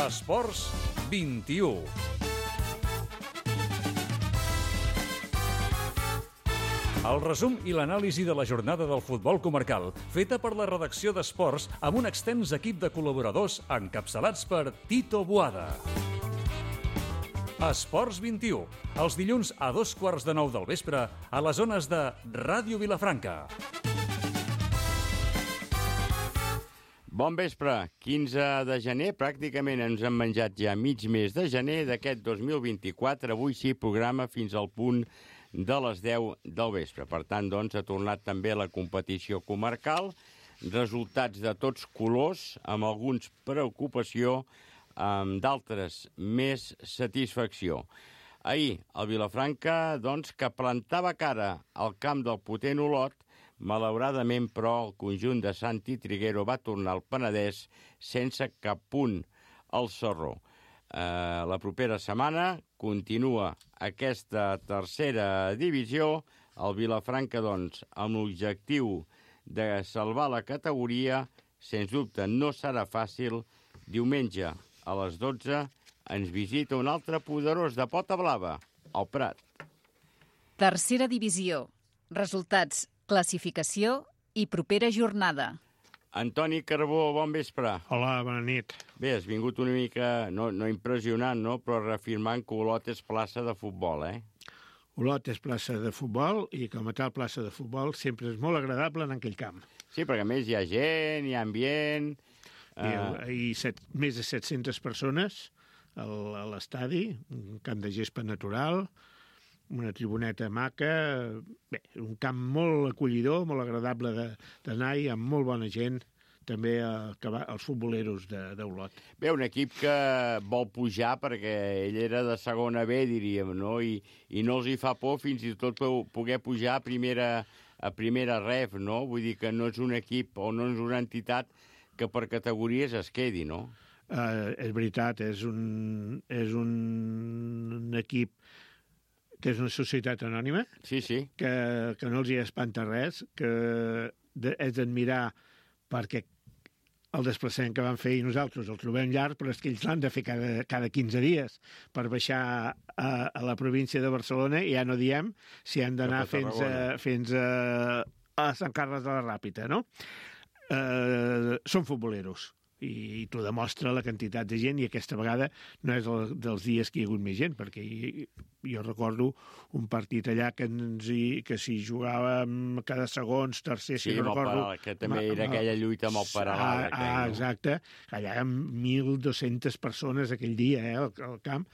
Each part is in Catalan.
Esports 21. El resum i l'anàlisi de la jornada del futbol comarcal, feta per la redacció d'Esports amb un extens equip de col·laboradors encapçalats per Tito Boada. Esports 21, els dilluns a 8:15 del vespre a les zones de Ràdio Vilafranca. Bon vespre, 15 de gener, pràcticament ens han menjat ja mig mes de gener d'aquest 2024, avui sí, programa fins al punt de les 10 del vespre. Per tant, doncs, ha tornat també la competició comarcal, resultats de tots colors, amb alguns preocupació, amb d'altres més satisfacció. Ahir, el Vilafranca, doncs, que plantava cara al camp del potent Olot, malauradament, però, el conjunt de Santi Triguero va tornar al Penedès sense cap punt al Sarró. La propera setmana continua aquesta tercera divisió. El Vilafranca, doncs, amb l'objectiu de salvar la categoria, sens dubte no serà fàcil. Diumenge a les 12 ens visita un altre poderós de pota blava, el Prat. Tercera divisió. Resultats, classificació i propera jornada. Antoni Carbó, bon vespre. Hola, bona nit. Bé, has vingut una mica, no impressionant, no? Però reafirmant que Olot és plaça de futbol, Olot és plaça de futbol i com a tal plaça de futbol sempre és molt agradable en aquell camp. Sí, perquè a més hi ha gent, hi ha ambient. Hi ha més de 700 persones a l'estadi, un camp de gespa natural, una tribuneta maca, bé, un camp molt acollidor, molt agradable d'anar-hi, amb molt bona gent, també els futboleros d'Olot. Bé, un equip que vol pujar perquè ell era de segona B, diríem, no? I no els hi fa por fins i tot poder pujar a primera ref, no? Vull dir que no és un equip o no és una entitat que per categories es quedi, no? És veritat, és un equip que és una societat anònima, sí. que no els hi espanta res, que és d'admirar perquè el desplaçament que van fer i nosaltres el trobem llarg, però és que ells l'han de fer cada 15 dies per baixar a la província de Barcelona i ja no diem si han d'anar fins a Sant Carles de la Ràpita, no? Són futboleros i t'ho demostra la quantitat de gent, i aquesta vegada no és dels dies que hi ha hagut més gent, perquè jo recordo un partit allà que s'hi jugava cada segons, tercer, si no recordo... Sí, que també era aquella lluita amb el paral·lel. Exacte. Allà hi ha 1.200 persones aquell dia, al camp.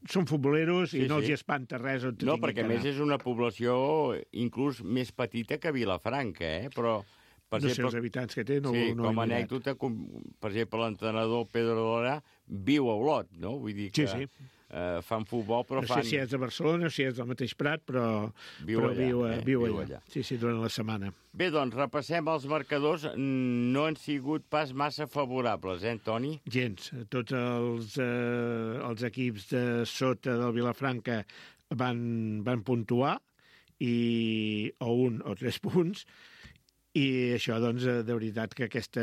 Són futboleros i no els hi espanta res. No, perquè a més és una població inclús més petita que Vilafranca, però... No sé els habitants que té, com a anècdota, per exemple, l'entrenador Pedro Dora viu a Olot, no? Vull dir que fan futbol, però fan... No sé si és de Barcelona o si és del mateix Prat, però viu allà. Sí, durant la setmana. Bé, doncs, repassem els marcadors. No han sigut pas massa favorables, Toni? Gens. Tots els equips de sota del Vilafranca van puntuar, o 1 o 3 punts, i això, doncs, de veritat que aquest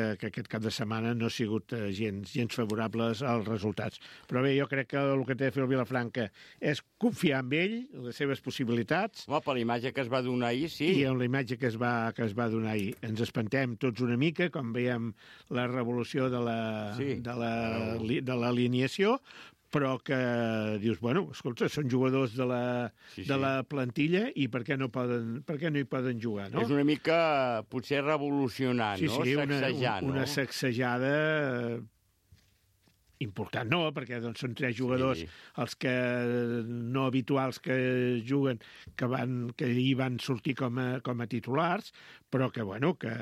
cap de setmana no ha sigut gens favorables als resultats. Però bé, jo crec que el que té de fer el Vilafranca és confiar en ell, les seves possibilitats. Home, per la imatge que es va donar ahir, sí. I amb la imatge que es va donar ahir. Ens espantem tots una mica, com veiem la revolució de l'alineació, però que dius, bueno, escolta, són jugadors de la plantilla i per què no hi poden jugar, no? És una mica, potser, revolucionant, no? Sacsejant, no? Una sacsejada important, no, perquè doncs, són 3 jugadors, els que no habituals que juguen, que hi van sortir com a titulars, però que, bueno, que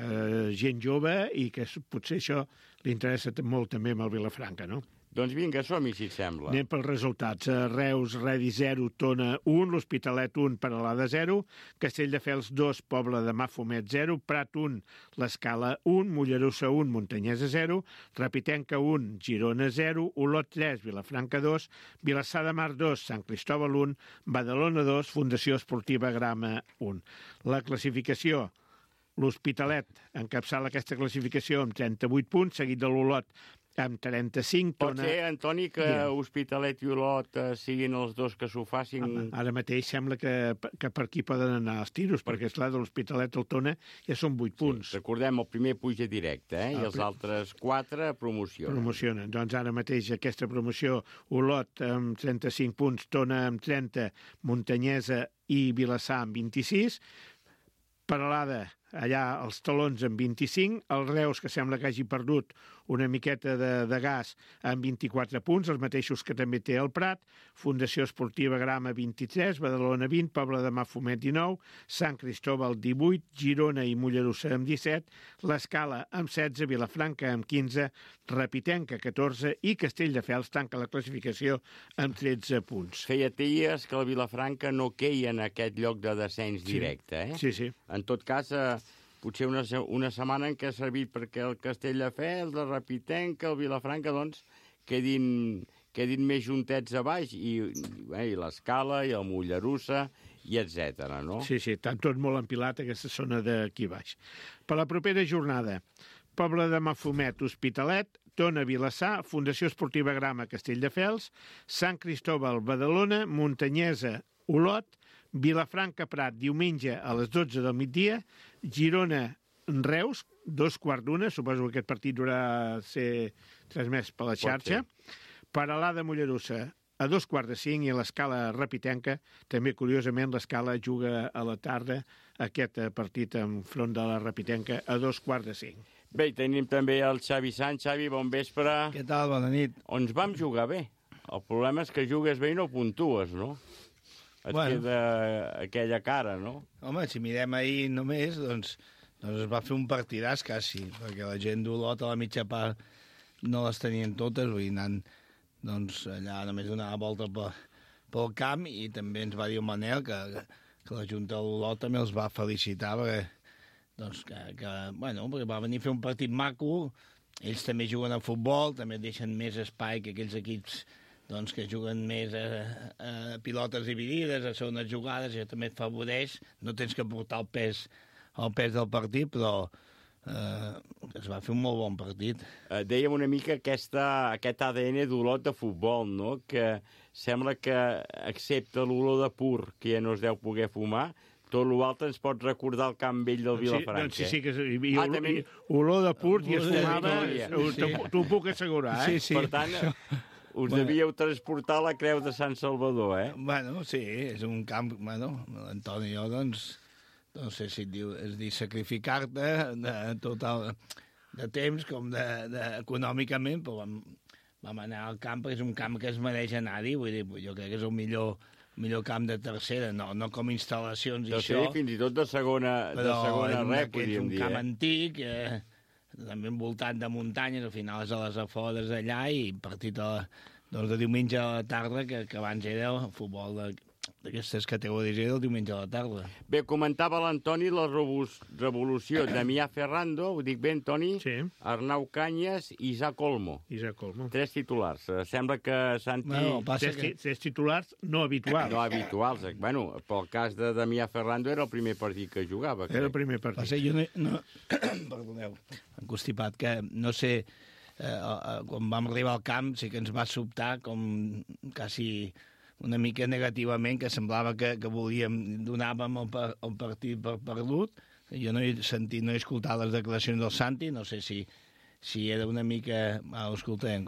gent jove i que potser això li interessa molt també amb el Vilafranca, no? Doncs vinga, som-hi, si et sembla. Anem pels resultats. Reus, Redi 0, Tona 1, l'Hospitalet 1, Peralada 0, Castelldefels 2, Pobla de Mafumet 0, Prat 1, l'Escala 1, Mollerussa 1, Montanyesa 0, Rapitenca 1, Girona 0, Olot 3, Vilafranca 2, Vilassar de Mar 2, Sant Cristòbal 1, Badalona 2, Fundació Esportiva Grama 1. La classificació: l'Hospitalet encapçala aquesta classificació amb 38 punts, seguit de l'Olot amb 35. Pot ser, Antoni, que Hospitalet i Olot siguin els dos que s'ho facin... Ara mateix sembla que per aquí poden anar els tiros, perquè, esclar, de l'Hospitalet al Tona ja són 8 punts. Sí, recordem, el primer puja directe, i els altres 4 promocionen. Promocionen. Doncs ara mateix aquesta promoció, Olot amb 35 punts, Tona amb 30, Muntanyesa i Vilassar amb 26, Peralada, allà els talons amb 25, el Reus, que sembla que hagi perdut una miqueta de gas, amb 24 punts, els mateixos que també té el Prat, Fundació Esportiva Grama 23, Badalona 20, Pobla de Mafumet 19, Sant Cristóbal 18, Girona i Mollerussa amb 17, l'Escala amb 16, Vilafranca amb 15, Repitenca 14 i Castelldefels tanca la classificació amb 13 punts. Feia dies que la Vilafranca no queia en aquest lloc de descens directe, Sí, sí. En tot cas, potser una setmana en què ha servit perquè el Castelldefels, el Repitenca, el Vilafranca, doncs, quedin més juntets a baix, i l'Escala, i el Mollerussa, i etc. no? Sí, estan tot molt empilat aquesta zona d'aquí baix. Per la propera jornada, Pobla de Mafumet, Hospitalet, Tona, Vilassar, Fundació Esportiva Grama, Castelldefels, Sant Cristóbal, Badalona, Muntanyesa, Olot, Vilafranca, Prat, diumenge a les 12 del migdia, Girona, Reus, 2:15, suposo que aquest partit durarà ser transmès per la xarxa, Peralada, Mollerussa, a 4:45, i a l'Escala Repitenca, també curiosament l'Escala juga a la tarda aquest partit enfront de la Repitenca a 4:45. Bé, tenim també el Xavi Sant. Xavi, bon vespre. Què tal? Bona nit. Ens vam jugar bé. El problema és que jugues bé i no puntues, no? Et queda aquella cara, no? Home, si mirem ahir només, doncs es va fer un partidàs quasi, perquè la gent d'Olot a la mitja part no les tenien totes, vull dir, anant allà només donar la volta pel camp, i també ens va dir el Manel que la Junta d'Olot també els va felicitar, perquè perquè va venir a fer un partit maco, ells també juguen a futbol, també deixen més espai que aquells equips que juguen més a pilotes dividides, a segones jugades, això també et favoreix, no tens que portar el pes del partit, però es va fer un molt bon partit. Dèiem una mica aquest ADN d'Olot de futbol, no? Que sembla que, excepte l'olor de pur, que ja no es deu poder fumar, tot l'altre ens pot recordar el camp vell del Vilafranca. Sí, que olor de pur i es fumava, t'ho puc assegurar, eh? Sí. Per tant, us devíeu transportar a la Creu de Sant Salvador, eh? Bueno, sí, és un camp... l'Antoni i jo, no sé si es diu sacrificar-te de temps com econòmicament, però vam anar al camp, perquè és un camp que es mereix anar-hi, vull dir, jo crec que és el millor camp de tercera, no com instal·lacions i això. Fins i tot de segona rep, podríem dir. És un camp antic, també envoltat de muntanyes, al final és a les afores d'allà, i partit de diumenge a la tarda, que abans era el futbol d'aquestes categories del diumenge a la tarda. Bé, comentava l'Antoni la revolució Damià Ferrando, ho dic bé, Antoni? Sí. Arnau Canyes i Isaac Olmo. 3 titulars. Sembla que Santi... Tres titulars no habituals. No habituals. Bueno, pel cas de Damià Ferrando era el primer partit que jugava. Era el primer partit. Va ser, jo no... Perdoneu, em constipat, que no sé... quan vam arribar al camp sí que ens va sobtar com quasi una mica negativament, que semblava que donàvem el partit per perdut. Jo no he sentit, no he escoltat les declaracions del Santi, no sé si era una mica... escoltem,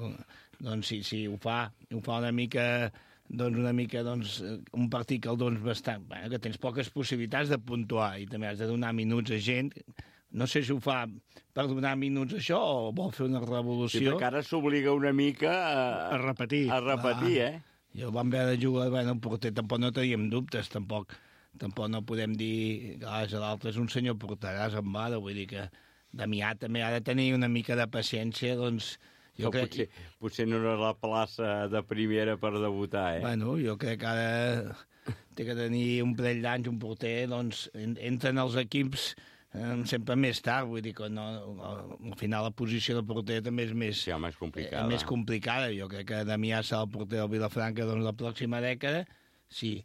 doncs si ho fa una mica... un partit que el dones bastant... que tens poques possibilitats de puntuar, i també has de donar minuts a gent. No sé si ho fa per donar minuts a això o vol fer una revolució. Sí, perquè ara s'obliga una mica a repetir. Jo vam haver de jugar, el porter tampoc no teníem dubtes, tampoc no podem dir que l'altre és un senyor porteràs amb vara, vull dir que Damià també ha de tenir una mica de paciència, doncs... Potser no era la plaça de primera per debutar, eh? Bueno, jo crec que ara té que tenir un parell d'anys, un porter, doncs entren els equips sempre més tard, vull dir que al final la posició del porter també és més complicada. Jo crec que Damià serà el porter del Vilafranca la pròxima dècada, si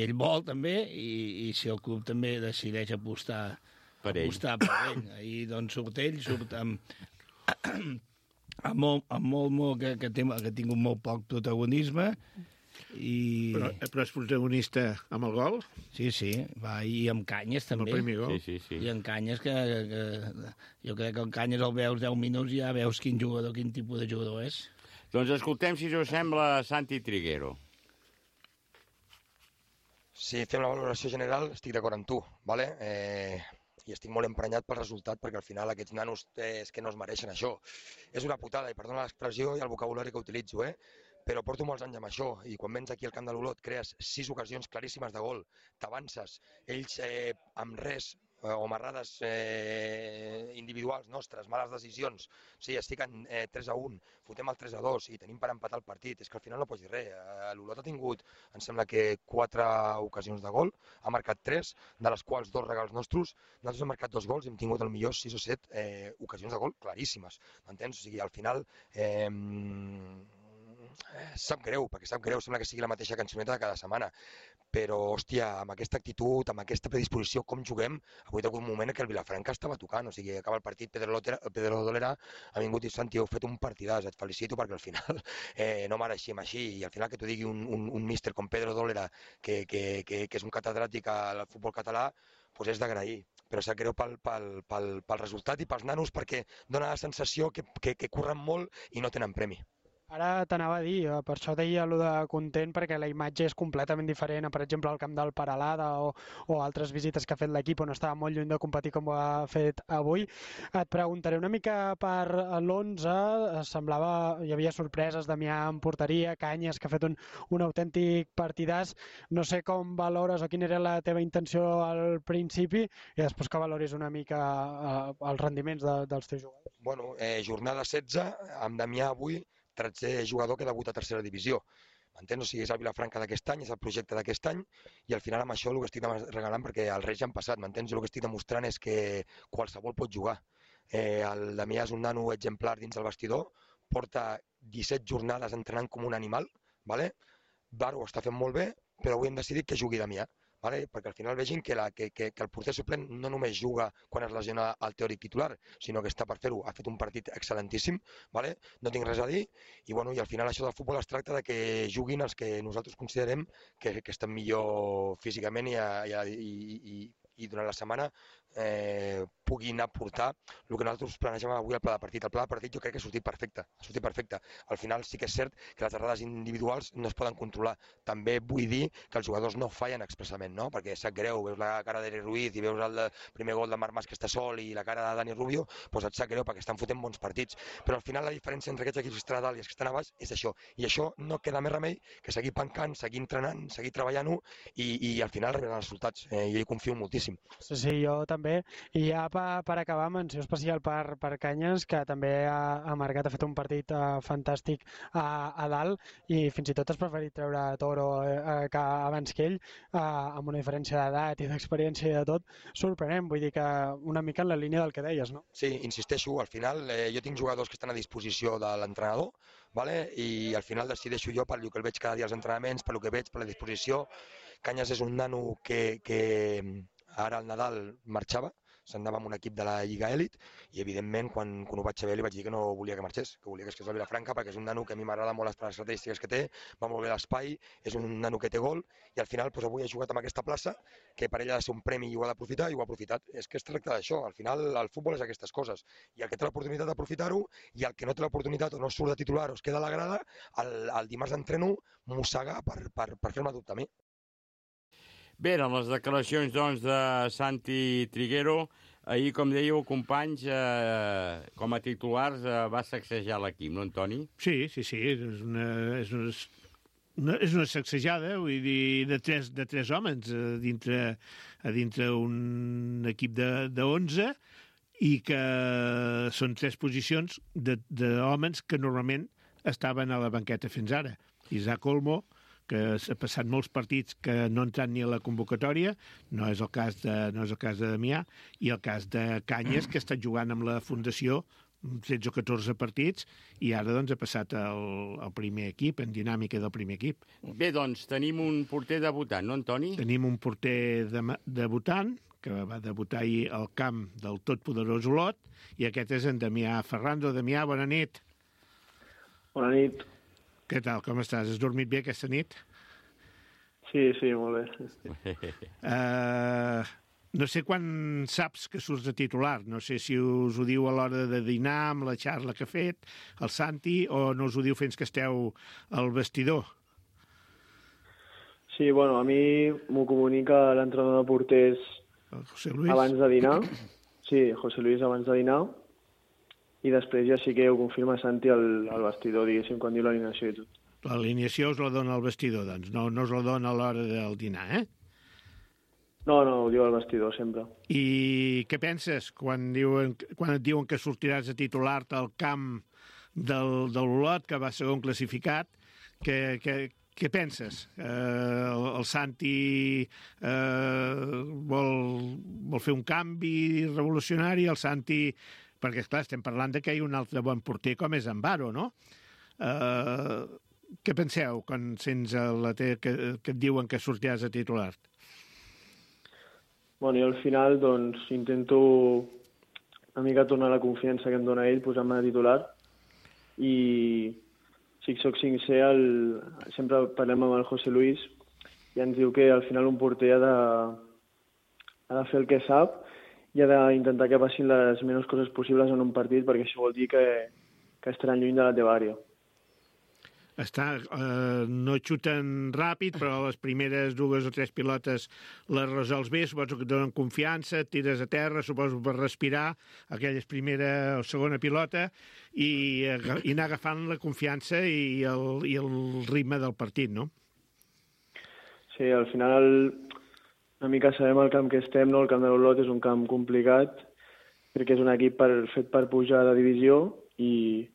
ell vol també, i si el club també decideix apostar per ell. Ahir doncs surt ell, surt que ha tingut molt poc protagonisme. Però és protagonista amb el gol? Sí, va, i amb Canyes també. El primer gol. Sí. I en Canyes, que jo crec que en Canyes el veus 10 minuts i ja veus quin tipus de jugador és. Doncs escoltem, si us sembla, Santi Triguero. Si fem la valoració general, estic d'acord amb tu, ¿vale? I estic molt emprenyat pel resultat, perquè al final aquests nanos és que no es mereixen això. És una putada, i perdona l'expressió i el vocabulari que utilitzo, però porto molts anys amb això, i quan vens aquí al camp de l'Olot crees 6 ocasions claríssimes de gol, t'avances, ells amb res, o marrades individuals nostres, males decisions, sí, es fiquen 3-1, fotem el 3-2 i tenim per empatar el partit, és que al final no pots dir res. L'Olot ha tingut, em sembla que 4 ocasions de gol, ha marcat 3, de les quals 2 regals nostres, nosaltres hem marcat 2 gols i hem tingut potser 6 o 7 ocasions de gol claríssimes, m'entens? O sigui, al final sap greu, sembla que sigui la mateixa cançoneta de cada setmana, però, hòstia, amb aquesta actitud, amb aquesta predisposició, com juguem, avui hi ha hagut un moment en què el Vilafranca estava tocant, o sigui, acaba el partit, Pedro Dolera ha vingut i Santi, heu fet un partidàs, et felicito perquè al final no mereixem així, i al final que t'ho digui un míster com Pedro Dolera, que és un catedràtic al futbol català, doncs és d'agrair, però sap greu pel resultat i pels nanos, perquè dona la sensació que curren molt i no tenen premi. Ara t'anava a dir, per això deia allò de content, perquè la imatge és completament diferent, per exemple, al camp del Peralada o altres visites que ha fet l'equip on estava molt lluny de competir com ho ha fet avui. Et preguntaré una mica per l'11, semblava, hi havia sorpreses, Damià en porteria, Canyes, que ha fet un autèntic partidàs. No sé com valores o quina era la teva intenció al principi i després que valoris una mica els rendiments dels teus jugadors. Bueno, jornada 16, amb Damià avui, 13è jugador que debuta a tercera divisió. M'entens? O sigui, és el Vilafranca d'aquest any, és el projecte d'aquest any, i al final amb això el que estic regalant, perquè els Reis ja han passat, m'entens? Jo el que estic demostrant és que qualsevol pot jugar. El Damià és un nano exemplar dins el vestidor, porta 17 jornades entrenant com un animal, ¿vale? Baro ho està fent molt bé, però avui hem decidit que jugui Damià. Vale? Perquè al final vegin que el porter suplent no només juga quan es lesiona el teòric titular, sinó que està per fer-ho. Ha fet un partit excel·lentíssim, vale? No tinc res a dir, i al final això del futbol es tracta de que juguin els que nosaltres considerem que estan millor físicament i durant la setmana puguin aportar el que nosaltres planejàvem avui al pla de partit. El pla de partit jo crec que ha sortit perfecte. Al final sí que és cert que les errades individuals no es poden controlar. També vull dir que els jugadors no fallen expressament, no? Perquè sap greu, veus la cara d'Eric Ruiz i veus el primer gol de Marc Mas que està sol i la cara de Dani Rubio, doncs et sap greu perquè estan fotent bons partits. Però al final la diferència entre aquests equips que estan a dalt i els que estan a baix és això. I això no queda més remei que seguir pencant, seguir entrenant, seguir treballant-ho i al final arribaran els resultats. Jo hi confio moltíssim. Sí, jo també. I ja per acabar, menció especial per Canyes, que també ha marcat, ha fet un partit fantàstic a dalt i fins i tot has preferit treure Toro abans que ell, amb una diferència d'edat i d'experiència i de tot, sorprenent, vull dir que una mica en la línia del que deies, no? Sí, insisteixo, al final jo tinc jugadors que estan a disposició de l'entrenador, ¿vale? I al final decideixo jo per el que el veig cada dia als entrenaments, per el que veig, per la disposició. Canyes és un nano que ara al Nadal marxava, s'anava amb un equip de la Lliga Elit i evidentment quan ho vaig saber li vaig dir que no volia que marxés, que volia que es quedés a Vilafranca perquè és un nano que a mi m'agrada molt les característiques que té, va molt bé l'espai, és un nano que té gol i al final avui ha jugat amb aquesta plaça que per ell ha de ser un premi i ho ha d'aprofitar i ho ha aprofitat. És que es tracta d'això, al final el futbol és aquestes coses i el que té l'oportunitat d'aprofitar-ho i el que no té l'oportunitat o no surt de titular o es queda a la grada, el dimarts d'entreno mossega per fer-me dubte a mi. Bé, eren les declaracions, doncs, de Santi Triguero. Ahir, com dèieu, companys, com a titulars, va sacsejar l'equip, no, Antoni? Sí, és una sacsejada, vull dir, de tres homes a dintre un equip de 11 i que són 3 posicions d'homes que normalment estaven a la banqueta fins ara. Isaac Olmo, que ha passat molts partits que no ha entrat ni a la convocatòria, no és el cas de Damià, i el cas de Canyes, que ha estat jugant amb la Fundació 13 o 14 partits i ara doncs ha passat al primer equip, en dinàmica del primer equip. Bé, doncs tenim un porter debutant, no, Antoni? Tenim un porter debutant, que va debutar ahir al camp del totpoderós Olot, i aquest és en Damià Ferrando. Damià, bona nit. Bona nit. Què tal, com estàs? Has dormit bé aquesta nit? Sí, molt bé. No sé quan saps que surts de titular. No sé si us ho diu a l'hora de dinar, amb la xarra que ha fet el Santi, o no us ho diu fins que esteu al vestidor. Sí, bueno, a mi m'ho comunica l'entrenador de porters José Luis. Abans de dinar. Sí, José Luis abans de dinar. I després ja sí que ho confirma Santi al vestidor, diguéssim, quan diu l'alineació i tot. L'alineació us la dona al vestidor, doncs. No us la dona a l'hora del dinar, eh? No, ho diu al vestidor, sempre. I què penses quan et diuen que sortiràs a titular-te al camp del Olot, que va segon classificat? Què penses? El Santi vol fer un canvi revolucionari? El Santi... Perquè, esclar, estem parlant que hi ha un altre bon porter com és Ambaro, no? Què penseu quan sents que et diuen que sortiràs a titular? Bueno, jo al final doncs, intento una mica tornar la confiança que em dona ell posant-me de titular i si soc sincer, sempre parlem amb el José Luis i ens diu que al final un porter ha de fer el que sap i ha d'intentar que passin les menys coses possibles en un partit, perquè això vol dir que estaran lluny de la teva àrea. No xuten ràpid, però les primeres 2 o 3 pilotes les resols bé, suposo que et donen confiança, et tires a terra, suposo per respirar aquella primera o segona pilota i anar agafant la confiança i el ritme del partit, no? Sí, al final una mica sabem el camp que estem, no? El camp de l'Olot és un camp complicat perquè és un equip fet per pujar de divisió i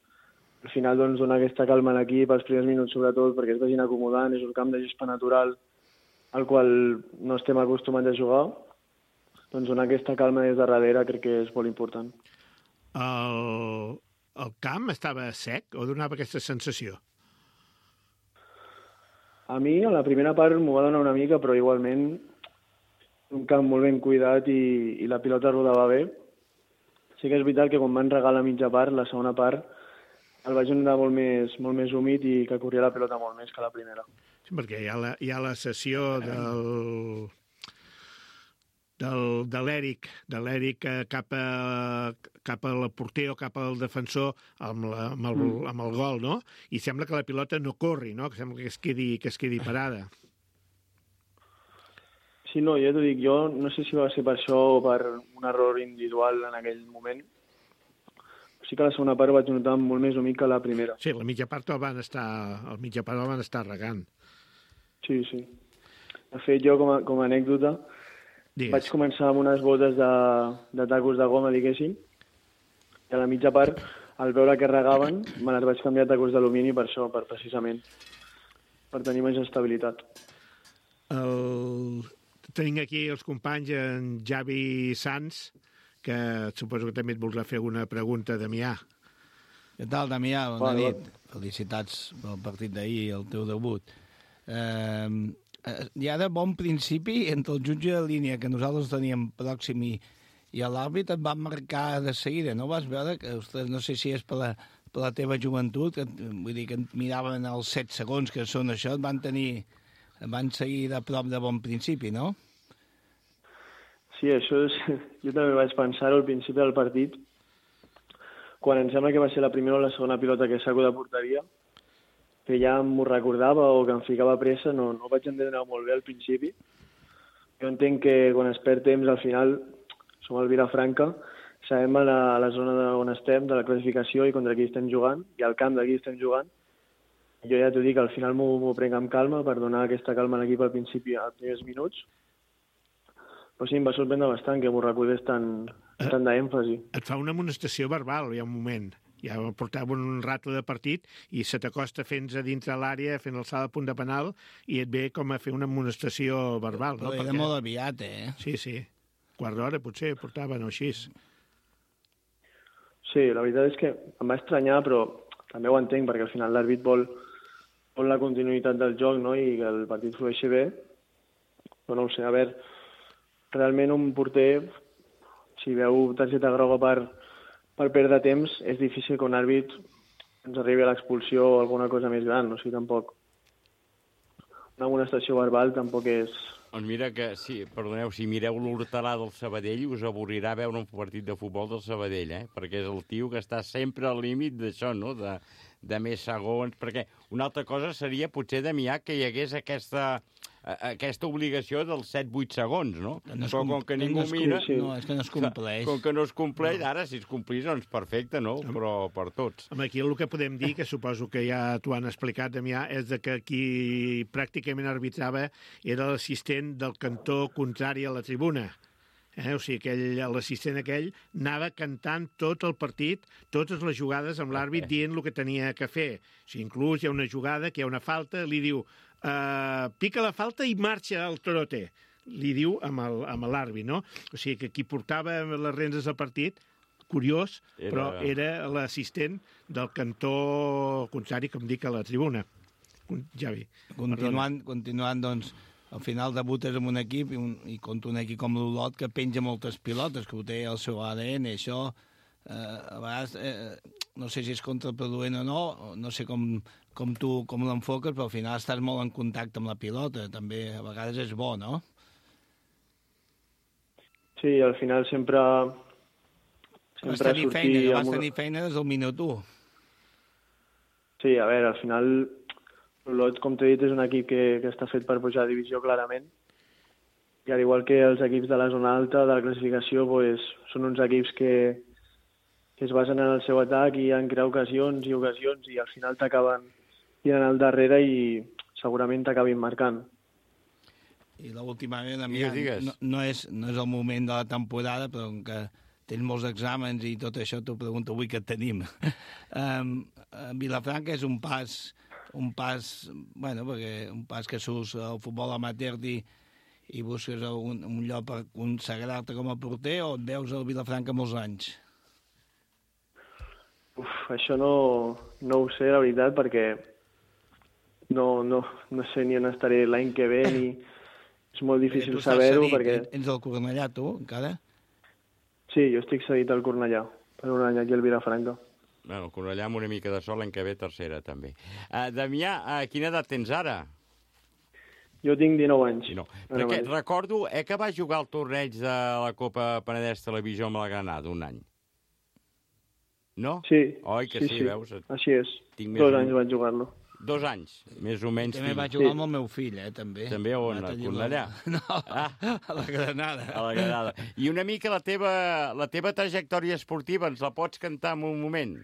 al final doncs, donar aquesta calma a l'equip els primers minuts sobretot perquè es vagin acomodant, és un camp de gespa natural al qual no estem acostumats a jugar, doncs donar aquesta calma des de darrere crec que és molt important. El camp estava sec o donava aquesta sensació? A mi a la primera part m'ho va donar una mica, però igualment un camp molt ben cuidat i la pilota rodava bé. Sí que és veritat que quan van regalar la mitja part, la segona part, el vaig anar molt més humit i que corria la pilota molt més que la primera. Sí, perquè hi ha la sessió de l'Eric cap al porter o cap al defensor amb el gol, no? I sembla que la pilota no corri, no? Que sembla que es quedi parada. Sí, no, ja t'ho dic, jo no sé si va ser per això o per un error individual en aquell moment. Sí que la segona part ho vaig notar molt més humit que la primera. Sí, la mitja part el van estar regant. Sí. De fet, jo com a anècdota vaig començar amb unes botes de tacos de goma, diguéssim, i a la mitja part, al veure que regaven, me les vaig canviar a tacos d'alumini per això, precisament, per tenir més estabilitat. Tenim aquí els companys, en Javi Sans, que suposo que també et voldrà fer alguna pregunta, Damià. Què tal, Damià? Bona nit. Felicitats pel partit d'ahir i el teu debut. Hi ha de bon principi entre el jutge de línia que nosaltres teníem pròxim i l'àrbit et van marcar de seguida, no? Vas veure que, ostres, no sé si és per la teva joventut, vull dir que et miraven els 7 segons que són això, et van seguir de prop de bon principi, no? Sí, això és... Jo també vaig pensar-ho al principi del partit, quan em sembla que va ser la primera o la segona pilota que saco de porteria, que ja m'ho recordava o que em ficava pressa, no vaig entendre molt bé al principi. Jo entenc que quan es perd temps, al final, som al Vilafranca, sabem a la zona on estem, de la classificació i contra qui estem jugant, i al camp de qui estem jugant. Jo ja t'ho dic, al final m'ho prenc amb calma per donar aquesta calma a l'equip al principi, als primers minuts. Però sí, em va sorprendre bastant que m'ho recordés tant d'èmfasi. Et fa una amonestació verbal, hi ha un moment. Ja portava un rato de partit i se t'acosta fent a dintre l'àrea, fent alçada a punt de penal, i et ve com a fer una amonestació verbal. Però era molt aviat, Sí. Quart d'hora, potser, portaven o així. Sí, la veritat és que em va estranyar, però també ho entenc, perquè al final l'àrbit vol la continuïtat del joc, no?, i que el partit flueixi bé. Però no ho sé, a veure, realment un porter, si veu targeta groga per perdre temps, és difícil que un àrbit ens arribi a l'expulsió o alguna cosa més gran, o sigui, tampoc. Una amonestació verbal tampoc és... Doncs mira que, sí, perdoneu, si mireu l'Hortalà del Sabadell us avorrirà veure un partit de futbol del Sabadell, perquè és el tio que està sempre al límit d'això, no?, de més segons, perquè una altra cosa seria potser, Damià, que hi hagués aquesta obligació dels 7-8 segons, no? Però com que ningú mira... No, és que no es compleix. Com que no es compleix, ara si es complís, doncs perfecte, no? Però per tots. Aquí el que podem dir, que suposo que ja t'ho han explicat, Damià, és que qui pràcticament arbitrava era l'assistent del cantó contrari a la tribuna. O sigui, l'assistent aquell anava cantant tot el partit, totes les jugades amb l'àrbit dient el que tenia que fer. O sigui, inclús hi ha una jugada que hi ha una falta, li diu pica la falta i marxa el Torote, li diu amb l'àrbit, no? O sigui, que qui portava les rendes del partit, curiós, però era l'assistent del cantó contrari, com dic, a la tribuna. Javi. Continuant, doncs, al final debutes amb un equip i contra un equip com l'Olot que penja moltes pilotes, que ho té el seu ADN, això a vegades no sé si és contraproduent o no sé com tu l'enfoques, però al final estàs molt en contacte amb la pilota, també a vegades és bo, no? Sí, al final sempre vas tenir feina des del minut 1. Sí, a veure, al final l'Olot, com t'he dit, és un equip que està fet per pujar a divisió clarament, i al igual que els equips de la zona alta de la classificació, pues, són uns equips que es basen en el seu atac i en crear ocasions i al final t'acaben tirant al darrere i segurament t'acabin marcant. I l'última vegada, no és el moment de la temporada, però que tens molts exàmens i tot això, t'ho pregunto avui que tenim. Vilafranca és un pas que surts al futbol amateur i busques un lloc per consagrar-te com a porter, o et veus al Vilafranca molts anys? Això no ho sé, la veritat, perquè no sé ni on estaré l'any que ve, ni és molt difícil saber-ho. Ets del Cornellà, tu, encara? Sí, jo estic cedit al Cornellà, per un any aquí al Vilafranca. Bueno, Cornellà amb una mica de sol, l'any que ve tercera, també. Damià, quina edat tens ara? Jo tinc 19 anys. Perquè recordo que vas jugar al torneig de la Copa Penedès Televisió amb la Granada un any. No? Sí. Oi, que sí, veus? Així és. 2 anys vaig jugar-lo. 2 anys, més o menys. També vaig jugar amb el meu fill, també. També on? A Cornellà? No, a la Granada. A la Granada. I una mica la teva trajectòria esportiva, ens la pots cantar en un moment?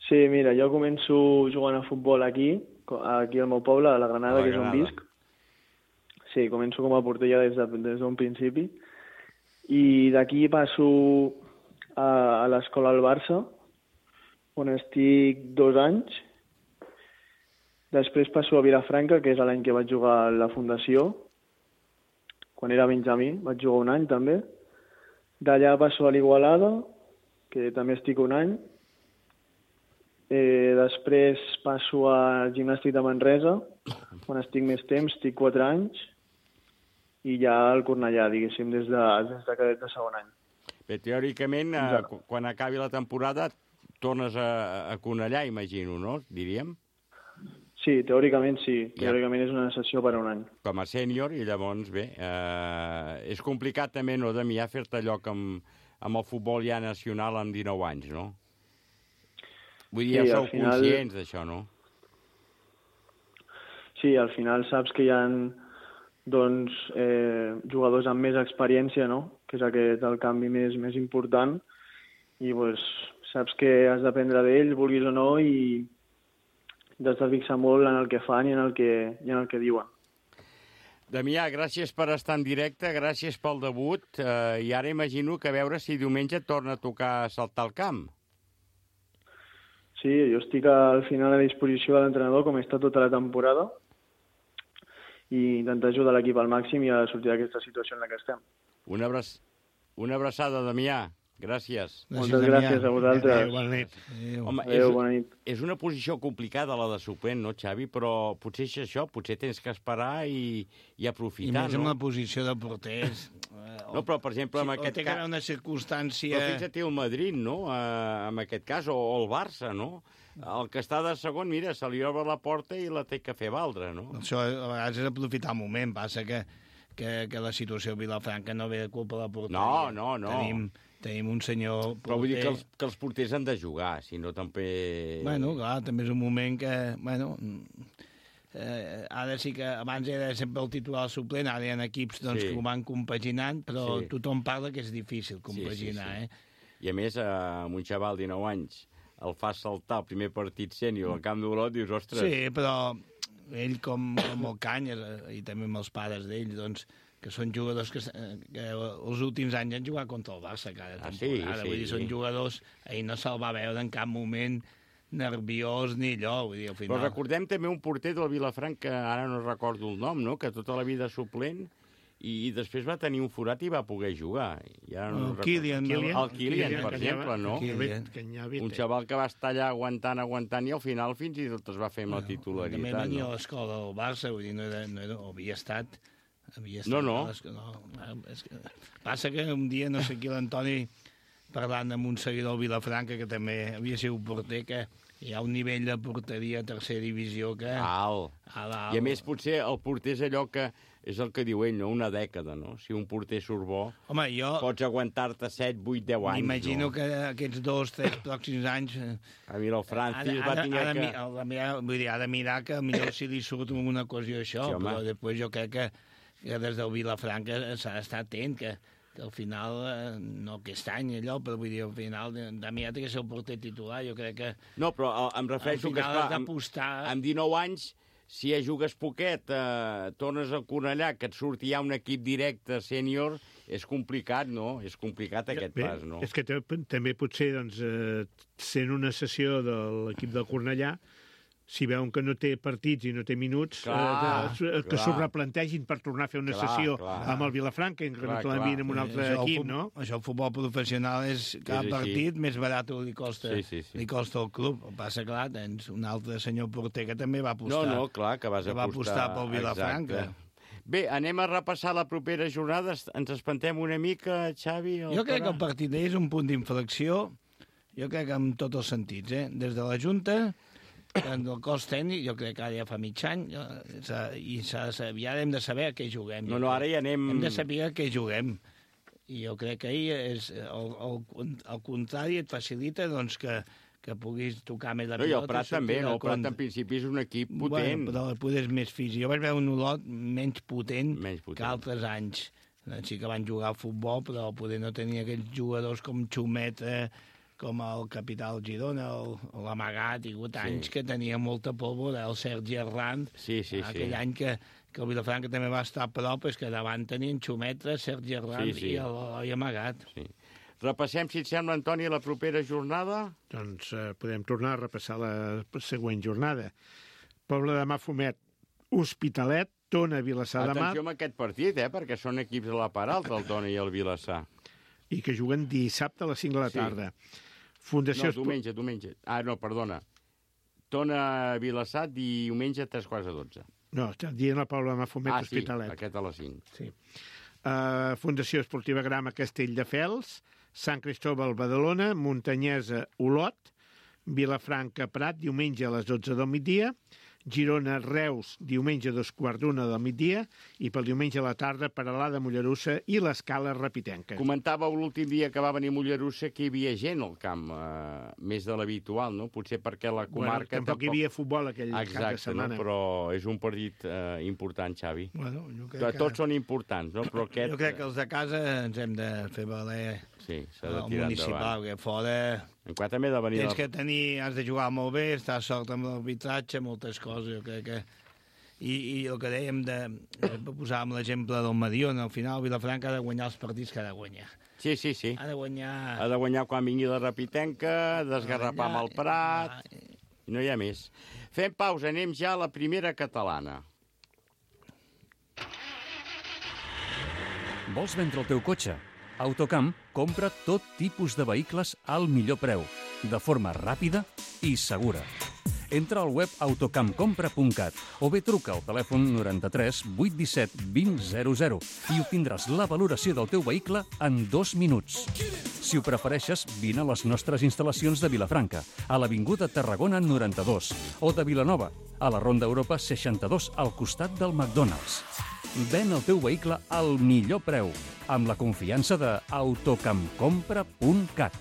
Sí, mira, jo començo jugant a futbol aquí al meu poble, a la Granada, que és on visc. Sí, començo com a porter ja des d'un principi. I d'aquí passo a l'escola al Barça, on estic 2 anys. Després passo a Vilafranca, que és l'any que vaig jugar a la Fundació. Quan era benjamí, vaig jugar 1 any també. D'allà passo a l'Igualada, que també estic 1 any. Després passo al Gimnàstic de Manresa, on estic més temps, estic 4 anys. I ja al Cornellà, diguéssim, des de cadet de 2è any. Bé, teòricament, quan acabi la temporada, tornes a Cornellà, imagino, no? Diríem? Sí, teòricament sí. Teòricament és una sessió per a 1 any. Com a sènior, i llavors, bé, és complicat també, no, Damià, fer-te lloc amb el futbol ja nacional amb 19 anys, no? Vull dir, ja sou conscients d'això, no? Sí, al final saps que hi ha doncs, jugadors amb més experiència, no? Que és el canvi més important, i doncs, saps que has d'aprendre d'ells, vulguis o no, i has de fixar molt en el que fan i en el que diuen. Damià, gràcies per estar en directe, gràcies pel debut, i ara imagino que a veure si diumenge torna a tocar saltar al camp. Sí, jo estic al final a disposició de l'entrenador, com he estat tota la temporada, i intentar ajudar l'equip al màxim i a sortir d'aquesta situació en la que estem. Una abraçada, Damià. Gràcies. Moltes gràcies a vosaltres. Bona nit. Home, bona nit. És una posició complicada, la de suplent, no, Xavi? Però potser és això, potser tens que esperar i aprofitar, no? I més en la posició de porters. No, però, per exemple, en aquest cas... O té que haver una circumstància... Però fixa't el Madrid, no?, en aquest cas, o el Barça, no? el que està de segon, mira, se li obre la porta i la té que fer valdre, no? Això a vegades és aprofitar el moment. Passa que la situació a Vilafranca no ve de culpa de la porteria. No. Tenim un senyor porter... Però vull dir que els porters han de jugar, si no també... Bueno, clar, també és un moment que... Ara sí que abans era sempre el titular suplent, ara hi ha equips que ho van compaginant, però tothom parla que és difícil compaginar, I a més, amb un xaval de 19 anys el fa saltar el primer partit sènior al Camp d'Olot, dius, ostres... Sí, però ell com el Canyes, i també amb els pares d'ell, doncs, que són jugadors que els últims anys han jugat contra el Barça cada temporada. Vull dir, són jugadors... Ell no se'l va veure en cap moment nerviós ni allò, vull dir, al final... Però recordem també un porter del Vilafranca, ara no recordo el nom, no?, que tota la vida suplent, i després va tenir un forat i va poder jugar. El Kylian, per exemple, no? Un xaval que va estar allà aguantant, i al final fins i tot es va fer amb la titularitat. També venia a l'escola del Barça, vull dir, no havia estat... No. Passa que un dia, no sé qui, l'Antoni, parlant amb un seguidor del Vilafranca, que també havia sigut porter, que hi ha un nivell de porteria a tercera divisió que... Alt. I a més, potser el porter és allò que... És el que diu ell, no? Una dècada, no? Si un porter surt bo, pots aguantar-te 7, 8, 10 anys. M'imagino que aquests 2, 3 pròxims anys... A mi el Francis va tenir que... Vull dir, ha de mirar que millor si li surt una ocasió això, però després jo crec que des del Vilafranca s'ha d'estar atent, que al final, no aquest any allò, però vull dir, al final, Damià té que ser el porter titular, jo crec que... No, però em refereixo que, esclar, amb 19 anys, si ja jugues poquet, tornes al Cornellà, que et surti ja un equip directe sènior, és complicat, no? És complicat aquest pas, no? És que també potser, doncs, sent una sessió de l'equip del Cornellà, si veuen que no té partits i no té minuts, que s'ho replantegin per tornar a fer una sessió amb el Vilafranca, que no te l'envien amb un altre equip, no? Això, el futbol professional és cada partit més barat li costa al club. El passa, clar, tens un altre senyor porter que també va apostar. No, clar, que vas apostar pel Vilafranca. Bé, anem a repassar la propera jornada. Ens espantem una mica, Xavi? Jo crec que el partit és un punt d'inflexió, jo crec que en tots els sentits, des de la Junta... En el cos tècnic, jo crec que ara ja fa mig any, i ja hem de saber a què juguem. No, ara ja anem... Hem de saber a què juguem. I jo crec que ahir el contrari et facilita doncs, que puguis tocar més la pilota. I el Prat també, no? El Prat en principi és un equip potent. Però el poder és més físic. Jo vaig veure un Olot menys potent que altres anys. Sí que van jugar al futbol, però el poder no tenia aquells jugadors com Xumeta, com el capità del Girona, l'Amagat, i anys que tenia molta pólvora, el Sergi Herrán, aquell any que el Vilafranca també va estar a prop, és que davant tenien Xumeta, Sergi Herrán i l'Eloi Amagat. Repassem, si et sembla, Antoni, la propera jornada? Doncs podem tornar a repassar la següent jornada. Poble de Mafumet, Hospitalet, Tona, Vilassar de Mar... Atenció amb aquest partit, perquè són equips a la part alta, el Tona i el Vilassar. I que juguen dissabte a les 5 de la tarda. No, diumenge. Ah, no, perdona. Tona Vilassar, diumenge a 3:15. No, estem dient la Pobla de Mafumet, Hospitalet. Sí, aquest a les 5. Sí. Fundació Esportiva Grama Castelldefels, Sant Cristóbal Badalona, Muntanyesa Olot, Vilafranca Prat, diumenge a les 12 del migdia, Girona Reus, diumenge a 2:15 del migdia, i pel diumenge a la tarda Peralada Mollerussa i l'Escala Rapitenca. Comentàveu l'últim dia que va venir Mollerussa que hi havia gent al camp, més de l'habitual, no? Potser perquè la comarca... Tampoc hi havia futbol aquell cap de setmana. No? Però és un partit important, Xavi. Bueno, tots són importants, no? Però aquest... Jo crec que els de casa ens hem de fer valer el municipal, que fora... Encara també de venir... Tens que tenir... Has de jugar molt bé, estar sort amb l'arbitratge, moltes coses, jo crec que... I el que dèiem posàvem l'exemple del Mediona, al final Vilafranca ha de guanyar els partits que ha de guanyar. Sí. Ha de guanyar... Ha de guanyar quan vingui la Rapitenca, desgarrapar amb el Prat... No hi ha més. Fem pausa, anem ja a la primera catalana. Vols vendre el teu cotxe? Autocamp compra tot tipus de vehicles al millor preu, de forma ràpida i segura. Entra al web autocampcompra.cat o bé truca al telèfon 93 817 2000 i obtindràs la valoració del teu vehicle en 2 minuts. Si ho prefereixes, vine a les nostres instal·lacions de Vilafranca, a l'Avinguda Tarragona 92, o de Vilanova, a la Ronda Europa 62, al costat del McDonald's. Ven el teu vehicle al millor preu, amb la confiança de autocampcompra.cat.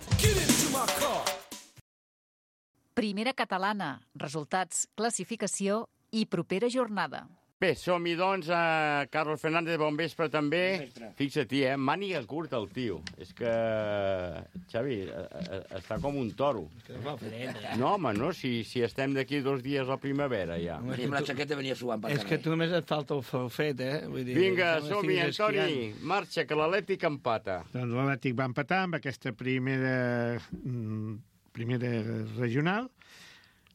Primera catalana, resultats, classificació i propera jornada. Bé, som-hi, doncs, a Carlos Fernández, bon vespre també. Fixa-t'hi, màniga curta el tio. És que, Xavi, està com un toro. No, home, no, si estem d'aquí 2 dies a la primavera, ja. Amb la xaqueta venia suant per carrer. És que tu només et falta el falfet, Vull dir, vinga, som-hi, Antoni, marxa, que l'Atlètic empata. Doncs l'Atlètic va empatar amb aquesta primera regional.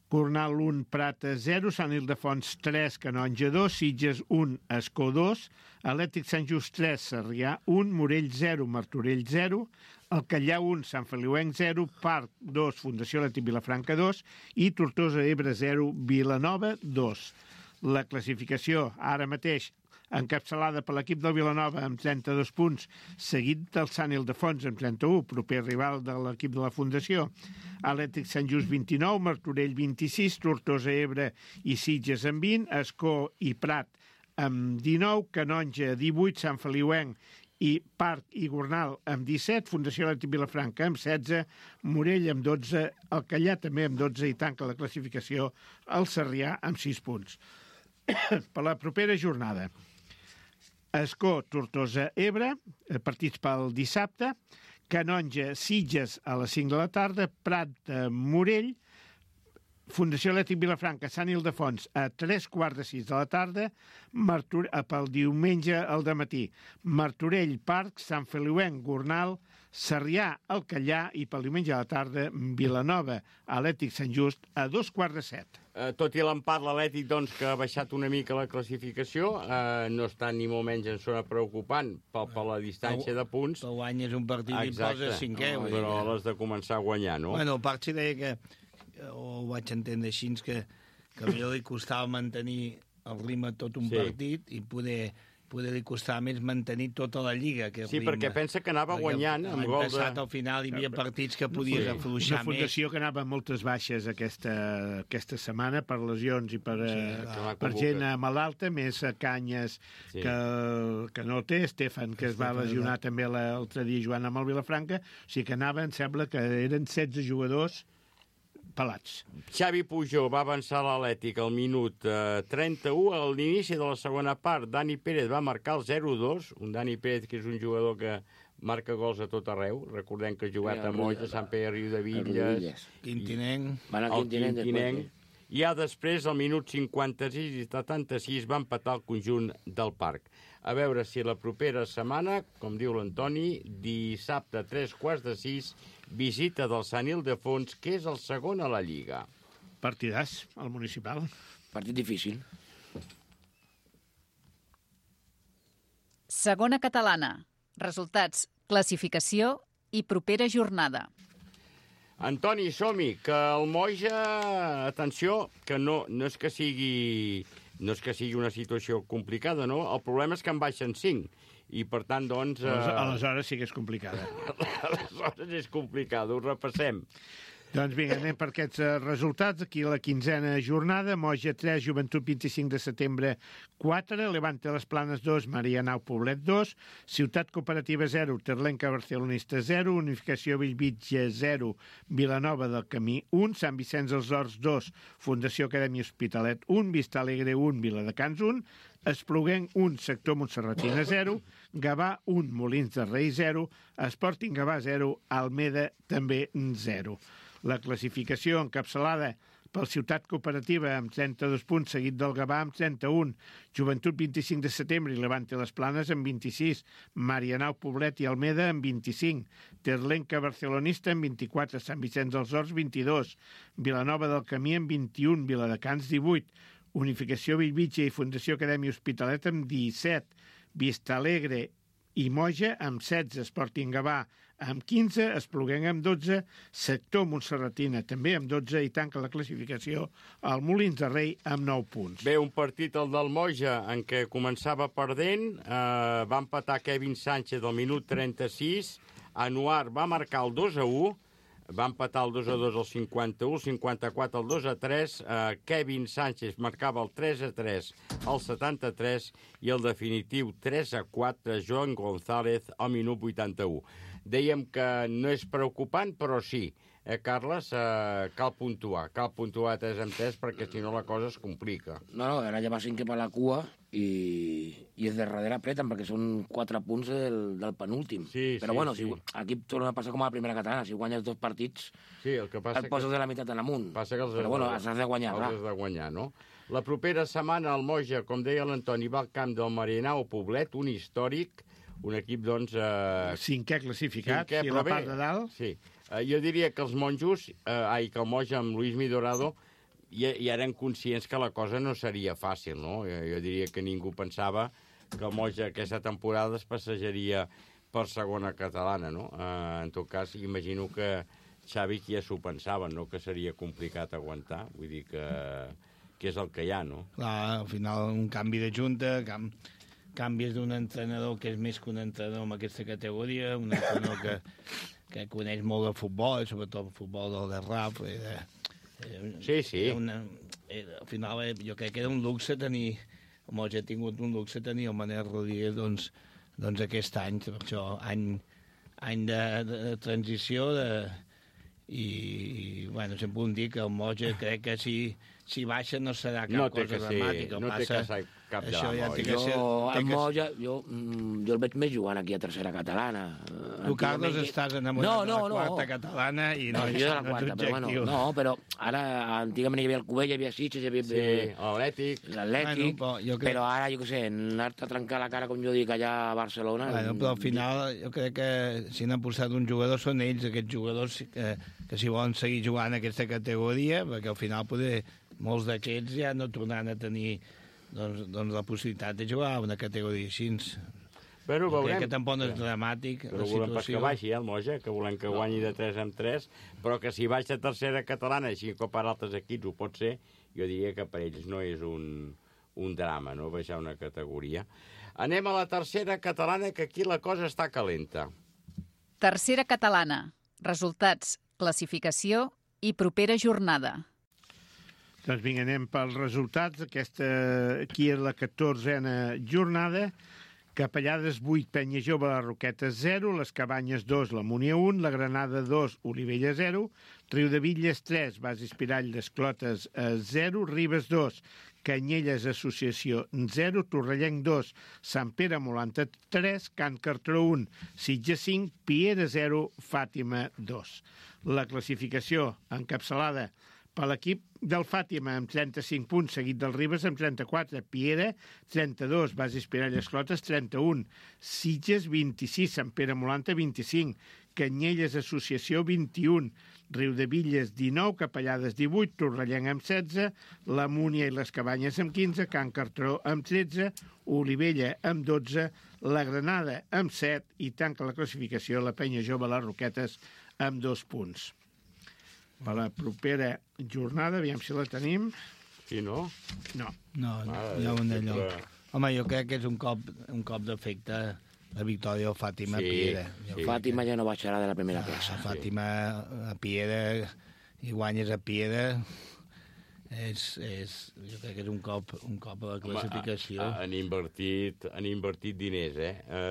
Gornal 1, Prat 0, Sant Ildefons 3, Canonja 2, Sitges 1, Escó 2, Atlètic Sant Just 3, Sarrià 1, Morell 0, Martorell 0, Alcallà 1, Sant Feliuenc 0, Parc 2, Fundació Atlètic Vilafranca 2 i Tortosa Ebre 0, Vilanova 2. La classificació ara mateix encapçalada per l'equip del Vilanova amb 32 punts, seguit del Sant Ildefons amb 31, proper rival de l'equip de la Fundació. Atlètic Sant Just 29, Martorell 26, Tortosa Ebre i Sitges amb 20, Escó i Prat amb 19, Canonja 18, Sant Feliuenc i Parc i Gornal amb 17, Fundació Atlètic Vilafranca amb 16, Morell amb 12, Alcallà també amb 12 i tanca la classificació el Sarrià amb 6 punts. Per la propera jornada, Escó, Tortosa, Ebre, partits pel dissabte, Canonja, Sitges a les 5 de la tarda, Prat, Morell, Fundació Atlètic Vilafranca, Sant Ildefons a 3:15 de la tarda, pel diumenge al dematí, Martorell, Parc, Sant Feliuenc, Gornal, Sarrià, Alcallà i pel diumenge a la tarda, Vilanova, Atlètic Sant Just a 6:45. Tot i l'empat, l'Atlètic, doncs, que ha baixat una mica la classificació, no està ni molt menys en zona preocupant per la distància de punts. Tu guanyes un partit i posa 5è. Però l'has de començar a guanyar, no? Bueno, el Parc s'hi deia que, ho vaig entendre així, que a millor li costava mantenir el ritme tot un partit i poder li costava més mantenir tota la Lliga. Sí, perquè pensa que anava guanyant amb gol de... L'any passat, al final, hi havia partits que podies afluixar més. Una fundació que anava amb moltes baixes aquesta setmana per lesions i per gent malalta, més Canyes que no té, Estefan, que es va lesionar també l'altre dia jugant amb el Vilafranca, o sigui que anava, em sembla que eren 16 jugadors pelats. Xavi Pujol va avançar l'Atlètic al minut 31. A l'inici de la segona part, Dani Pérez va marcar el 0-2. Un Dani Pérez que és un jugador que marca gols a tot arreu. Recordem que ha jugat a Molls, a Sant Pere Riu de Villes, Quintinenc. El Quintinenc. I ja després, al minut 56 i 76, va empatar el conjunt del Parc. A veure si la propera setmana, com diu l'Antoni, dissabte 3:15, visita del Sant Ildefons, que és el segon a la Lliga. Partidàs, al municipal. Partit difícil. Segona catalana. Resultats, classificació i propera jornada. Antoni, som-hi, que el Moja, atenció, que no és que sigui una situació complicada, no? El problema és que en baixen 5. I, per tant, doncs... Aleshores sí que és complicada. Aleshores és complicada, ho repassem. Doncs vinga, anem per aquests resultats. Aquí la 15a jornada, Moja 3, Joventut 25 de setembre 4, Levante Les Planes 2, Marianao Poblet 2, Ciutat Cooperativa 0, Terlenca Barcelonista 0, Unificació Bellvitge 0, Vilanova del Camí 1, Sant Vicenç dels Horts 2, Fundació Acadèmia Hospitalet 1, Vista Alegre 1, Viladecans 1, Espluguenc 1, Sector Montserratina 0, Gavà 1, Molins de Rei 0, Sporting Gavà 0, Almeda també 0. La classificació encapçalada pel Ciutat Cooperativa amb 32 punts, seguit del Gavà amb 31, Joventut 25 de setembre i Levante Les Planes amb 26, Marianao Poblet i Almeda amb 25, Terlenca Barcelonista amb 24, Sant Vicenç dels Horts 22, Vilanova del Camí amb 21, Viladecans 18, Unificació Bellvitge i Fundació Acadèmia Hospitalet amb 17, Vista Alegre i Moja amb 16, Sporting Gavà amb 15, Espluguenc amb 12, Sector Montserratina també amb 12 i tanca la classificació al Molins de Rei amb 9 punts. Bé, un partit, el del Moja, en què començava perdent, va empatar Kevin Sánchez al minut 36, Anuar va marcar el 2-1, va empatar el 2-2 al 51, el 54 el 2-3, Kevin Sánchez marcava el 3-3 al 73 i el definitiu 3-4 Joan González al minut 81. Dèiem que no és preocupant, però sí. Carles, cal puntuar 3-3 perquè si no la cosa es complica. No, ara ja va 5 per la cua i és de darrere apreten perquè són 4 punts del penúltim. Sí, però bueno, sí. Aquí torna a passar com a la primera catalana, si guanyes 2 partits el poses de la meitat en amunt. Però bueno, has de guanyar. Els has de guanyar, no? La propera setmana el Moja, com deia l'Antoni, va al camp del Marinau Poblet, un històric, un equip, doncs... Cinquè classificat, i la part de dalt. Sí. Jo diria que els monjos, que el Moja amb Luis Midorado, ja eren conscients que la cosa no seria fàcil, no? Jo diria que ningú pensava que el Moja aquesta temporada es passejaria per segona catalana, no? En tot cas, imagino que Xavi ja s'ho pensaven, no? Que seria complicat aguantar, vull dir que és el que hi ha, no? Clar, al final un canvi de junta, canvies d'un entrenador que és més que un entrenador en aquesta categoria, un entrenador que coneix molt de futbol, sobretot el futbol del Garraf. Sí. Al final jo crec que era un luxe tenir, com ja he tingut un luxe tenir el Manel Rodríguez doncs aquest any, per això any de transició i bueno, sempre ho dic, el Moja crec que si baixa no serà cap cosa dramàtica. No té cap drama. El Moja, jo el veig més jugant aquí a tercera catalana. Tu, Carlos, estàs enamorat de la quarta catalana i no és objectiu. No, però ara, antigament hi havia el Cubell, hi havia Sitges, hi havia l'Atlètic, però ara, jo què sé, anar-te a trencar la cara, com jo dic, allà a Barcelona... Però al final, jo crec que si n'han posat un jugador són ells, aquests jugadors que si volen seguir jugant a aquesta categoria, perquè al final molts d'aquests ja no tornaran a tenir doncs la possibilitat de jugar a una categoria així. Bueno, veurem. Crec que tampoc no és dramàtic la situació. Volem que baixi, el Moja, que volem que guanyi de 3-3, però que si baixa a tercera catalana, així com per altres equips ho pot ser, jo diria que per ells no és un drama, no?, baixar una categoria. Anem a la tercera catalana, que aquí la cosa està calenta. Tercera catalana. Resultats, classificació i propera jornada. Doncs vinga, anem pels resultats. Aquí és la 14a jornada. Capellades 8, Penya Jove, la Roqueta 0, les Cabanyes 2, la Múnia 1, la Granada 2, Olivella 0, Riudebitlles 3, Bas Espirall d'Esclotes 0, Ribes 2, Canyelles Associació 0, Torrellenc 2, Sant Pere Molanta 3, Can Cartró 1, Sitges 5, Piera 0, Fàtima 2. La classificació encapçalada per l'equip del Fàtima amb 35 punts, seguit del Ribes amb 34, Piera 32, Bas Espirall Esclotes 31, Sitges 26, Sant Pere Molanta 25, Canyelles Associació 21, Riudebitlles 19, Capellades 18, Torrellenc amb 16, la Múnia i les Cabanyes amb 15, Can Cartró amb 13, Olivella amb 12, la Granada amb 7 i tanca la classificació la Penya Jove les Roquetes amb 2 punts. Per la propera jornada, aviam si la tenim. Sí, no? No. No, hi ha un d'allò. Home, jo crec que és un cop d'efecte la victòria del Fàtima a Piera. Fàtima ja no baixarà de la primera plaça. Fàtima a Piera, i guanyes a Piera, jo crec que és un cop a la classificació. Han invertit diners,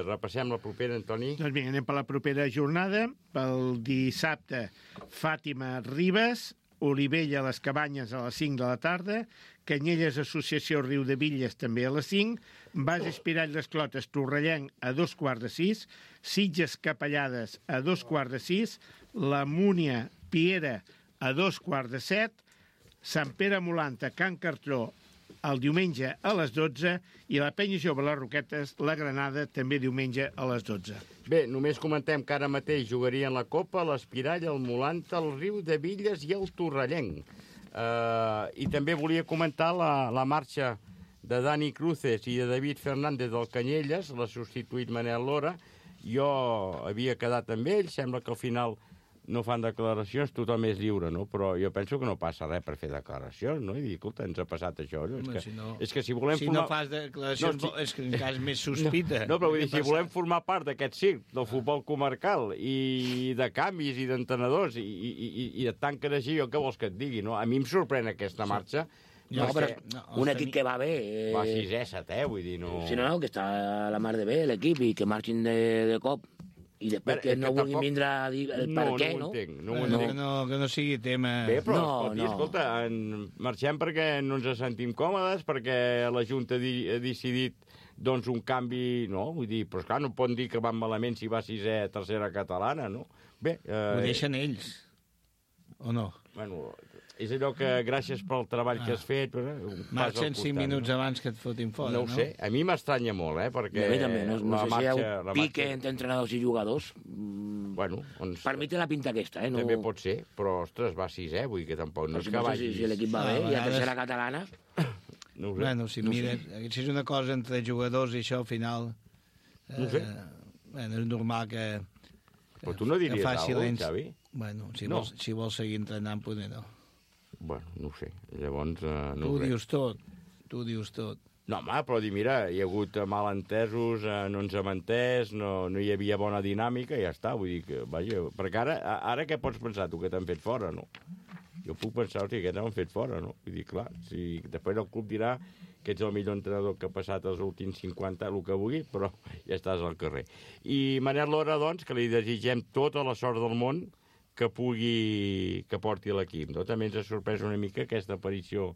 Repassem la propera, Antoni. Doncs vinga, anem per la propera jornada. Pel dissabte, Fàtima Ribes, Olivella a les Cabanyes a les 5 de la tarda, Canyelles Associació Riudebitlles també a les 5, Bas Espirall d'Esclotes Torrellenc a 5:15, Sitges Capellades a 5:15, la Múnia Piera a 6:15, Sant Pere Molanta, Can Cartró, el diumenge a les 12 i la Penya Jove les Roquetes, la Granada, també diumenge a les 12. Bé, només comentem que ara mateix jugarien la Copa, l'Espirall, el Molanta, el Riudebitlles i el Torrellenc. I també volia comentar la marxa de Dani Cruces i de David Fernández del Canyelles, l'ha substituït Manel Lora. Jo havia quedat amb ell, sembla que al final no fan declaracions, tothom és lliure, no? Però jo penso que no passa res per fer declaracions, no? I dir, escolta, ens ha passat això. No? És que si volem formar... Si no fas declaracions, és que encara és més sospita. No, però vull dir, si volem formar part d'aquest circ, del futbol comarcal, i de canvis, i d'entrenadors, i de tant que així, jo què vols que et digui, no? A mi em sorprèn aquesta marxa. No, però un equip que va bé... Va 6è, 7è, vull dir, no... Sí, no, que està a la mar de bé, l'equip, i que marxin de cop. I després que no vulguin vindre a dir el per què, no? No ho entenc. Que no sigui tema... Bé, però escolta, marxem perquè no ens sentim còmodes, perquè la Junta ha decidit doncs un canvi, no? Vull dir, però esclar, no poden dir que van malament si va 6è, 3a catalana, no? Bé... Ho deixen ells, o no? Bueno... És allò que, gràcies pel treball que has fet... Marxen 5 minuts abans que et fotin fora, no? No ho sé, a mi m'estranya molt, perquè... A mi també, no sé si hi ha un pique entre entrenadors i jugadors. Bueno, per mi té la pinta aquesta, no? També pot ser, però, ostres, va 6è, vull dir que tampoc no és que vagi... Si l'equip va bé, i a tercera catalana... No ho sé. Bueno, si mires, si és una cosa entre jugadors i això, al final... No ho sé. Bueno, és normal que... Però tu no diries alguna cosa, Xavi? Bueno, si vols seguir entrenant, potser no. Bueno, no ho sé. Llavors, no tu ho dius tot. No, home, però dir, mira, hi ha hagut malentesos, no ens hem entès, no hi havia bona dinàmica, i ja està. Vull dir que, vaja, perquè ara què pots pensar, tu, que t'han fet fora, no? Jo puc pensar, hosti, que t'han fet fora, no? Vull dir, clar, si després el club dirà que ets el millor entrenador que ha passat els últims 50, el que vulgui, però ja estàs al carrer. I Manel Lora, doncs, que li desitgem tota la sort del món que porti l'equip, no? També ens ha sorprès una mica aquesta aparició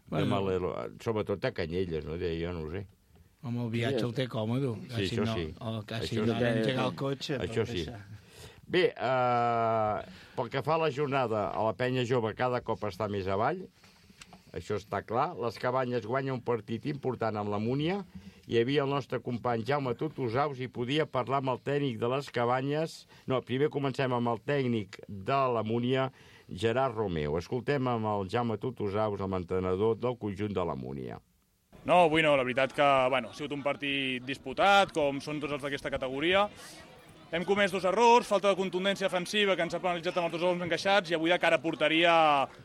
de Malelo, sobretot a Canyelles, no? Jo no ho sé. Home, el viatge el té còmode. Sí, això sí. Quasi no ha d'engegar el cotxe. Això sí. Bé, pel que fa a la jornada, a la penya jove cada cop està més avall, això està clar. Les Cabanyes guanya un partit important amb la Múnia. Hi havia el nostre company Jaume Tutusaus i podia parlar amb el tècnic de les Cabanyes. No, primer comencem amb el tècnic de la Múnia, Gerard Romeu. Escoltem amb el Jaume Tutusaus, el entrenador del conjunt de la Múnia. No, avui no, la veritat que ha sigut un partit disputat, com són tots els d'aquesta categoria. Hem comès 2 errors, falta de contundència defensiva que ens ha penalitzat amb els 2 gols encaixats, i avui de cara a porteria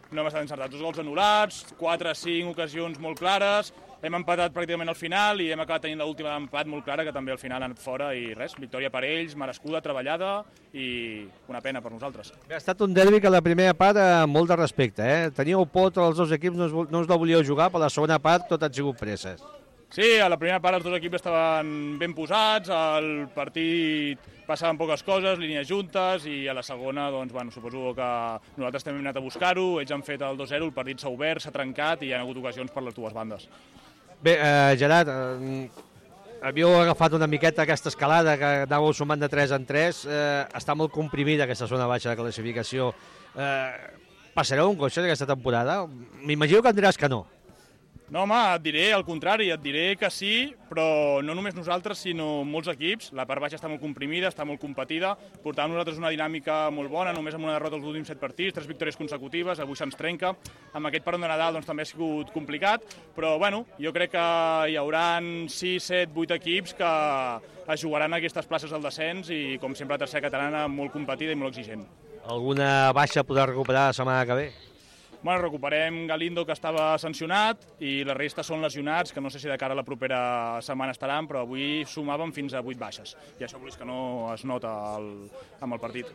no hem estat encertats. 2 gols anul·lats, 4-5 ocasions molt clares, hem empatat pràcticament al final i hem acabat tenint l'última empat molt clara, que també al final ha anat fora, i res, victòria per ells, merescuda, treballada i una pena per nosaltres. Ha estat un derbi que la primera part molt de respecte, Teníeu por, els 2 equips no us la volíeu jugar, però la segona part tot han sigut presses. Sí, a la primera part els 2 equips estaven ben posats, el partit passaven poques coses, línies juntes, i a la segona, doncs, suposo que nosaltres també hem anat a buscar-ho, ells han fet el 2-0, el partit s'ha obert, s'ha trencat i hi ha hagut ocasions per les 2 bandes. Bé, Gerard, havíeu agafat una miqueta aquesta escalada que anàveu sumant de 3 en 3, està molt comprimida aquesta zona baixa de classificació. Passareu un coixa d'aquesta temporada? M'imagino que em diràs que no. No, home, et diré al contrari, et diré que sí, però no només nosaltres, sinó molts equips. La part baixa està molt comprimida, està molt competida, portàvem nosaltres una dinàmica molt bona, només amb una derrota els últims 7 partits, 3 victòries consecutives, avui se'ns trenca. Amb aquest parón de Nadal doncs, també ha sigut complicat, però bueno, jo crec que hi haurà 6, 7, 8 equips que es jugaran aquestes places al descens i, com sempre, la tercera catalana molt competida i molt exigent. Alguna baixa podrà recuperar la setmana que ve? Bueno, recuperem Galindo, que estava sancionat, i la resta són lesionats, que no sé si de cara a la propera setmana estaran, però avui sumàvem fins a 8 baixes. I això que no es nota amb el partit.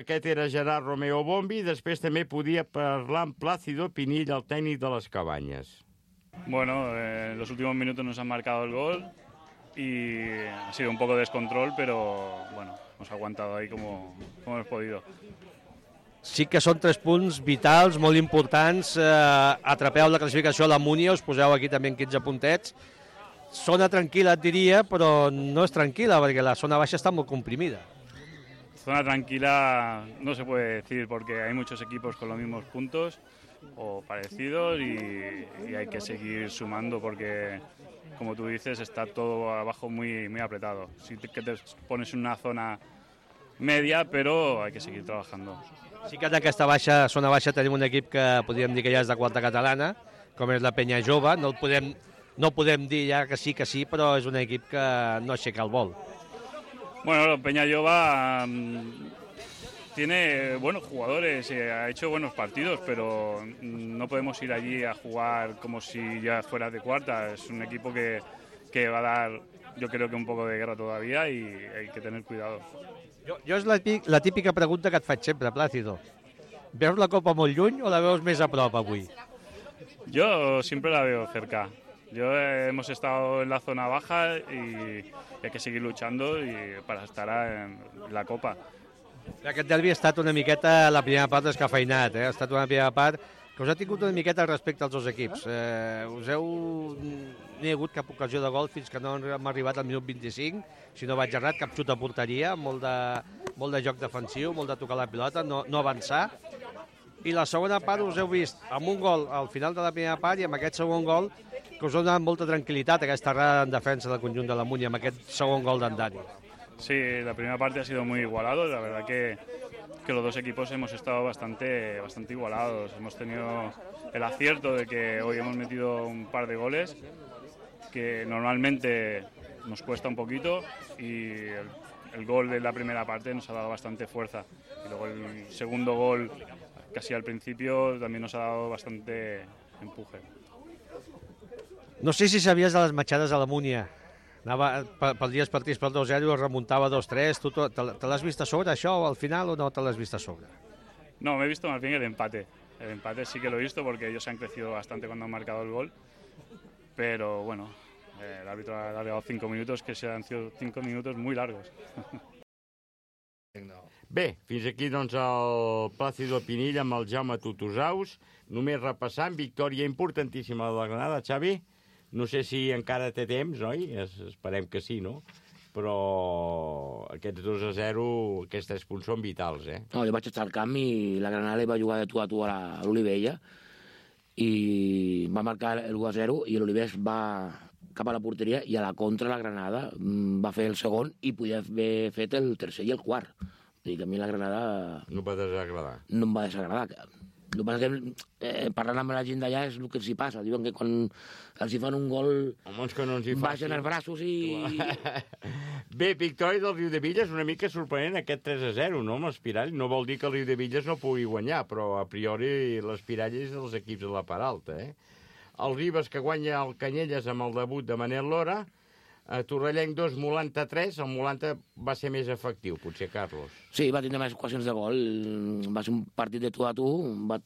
Aquest era Gerard Romeo Bombi, després també podia parlar amb Plácido Pinill, el tècnic de les Cabanyes. Bueno, en los últimos minutos nos han marcado el gol y ha sido un poco de descontrol, pero bueno, hemos aguantado ahí como hemos podido. Sí que són 3 punts vitals, molt importants. Atrapeu la classificació a la Múnia, us poseu aquí també en 15 puntets. Zona tranquil·la, et diria, però no és tranquil·la, perquè la zona baixa està molt comprimida. Zona tranquila no se puede decir, porque hay muchos equipos con los mismos puntos o parecidos y hay que seguir sumando, porque, como tú dices, está todo abajo muy, muy apretado. Sí que te pones en una zona media, però hay que seguir trabajando. Sí que en aquesta zona baixa tenim un equip que podríem dir que ja és de 4a catalana, com és la Penya Jove. No podem dir ja que sí, però és un equip que no aixeca el vol. Bueno, la Penya Jove tiene buenos jugadores, ha hecho buenos partidos, pero no podemos ir allí a jugar como si ya fuera de cuarta. Es un equipo que va a dar, yo creo que un poco de guerra todavía y hay que tener cuidado. Jo és la típica pregunta que et faig sempre, Plácido. Veus la Copa molt lluny o la veus més a prop avui? Yo siempre la veo cerca. Hemos estado en la zona baja y hay que seguir luchando para estar en la Copa. Aquest derbi ha estat una miqueta la primera part descafeinat, ha estat una primera part que us ha tingut una miqueta respecte als dos equips. No hi ha hagut cap ocasió de gol fins que no hem arribat al minut 25, si no vaig errat, cap xut a porteria, molt de joc defensiu, molt de tocar la pilota, no avançar. I la segona part us heu vist amb un gol al final de la primera part i amb aquest segon gol que us ha donat molta tranquil·litat aquesta errada en defensa del conjunt de la Múnia, amb aquest segon gol d'en Dani. Sí, la primera parte ha sido muy igualado, la verdad que los dos equipos hemos estado bastante igualados. Hemos tenido el acierto de que hoy hemos metido un par de goles que normalmente nos cuesta un poquito y el gol de la primera parte nos ha dado bastante fuerza. Y luego el segundo gol, casi al principio, también nos ha dado bastante empuje. No sé si sabies de les matxades a la Múnia. Perdies partits per 2-0, es remuntava 2-3. Te l'has vist a sobre, això, al final, o no te l'has vist a sobre? No, me he visto más bien el empate. El empate sí que lo he visto porque ellos han crecido bastante cuando han marcado el gol. Pero bueno, el árbitro ha alargado 5 minutos, que se han sido 5 minutos muy largos. Bé, fins aquí doncs el Plácido Pinilla amb el Jaume Tutusaus. Només repassant, victòria importantíssima de la Granada, Xavi. No sé si encara té temps, oi? Esperem que sí, no? Però aquests 2-0, aquests 3 punts són vitals, eh? No, jo vaig estar al camp i la Granada va jugar de tu a tu a l'Olivella i va marcar el 1-0 i l'Olivella va cap a la porteria i a la contra la Granada va fer el segon i podia haver fet el tercer i el quart. Vull dir que a mi la Granada... No va desagradar. No em va desagradar. El que passa que parlant amb la gent d'allà és el que els hi passa. Diuen que quan els hi fan un gol baixen els braços i... Bé, victòria del Riudebitlles una mica sorprenent aquest 3-0, no? Amb l'Espirall. No vol dir que el Riudebitlles no pugui guanyar, però a priori l'Espirall és dels equips de la part alta, eh? El Ribes que guanya el Canyelles amb el debut de Manel Lora. Torrellenc 2, Molanta 3. El Molanta va ser més efectiu, potser, Carlos. Sí, va tindre més ocasions de gol. Va ser un partit de tu a tu.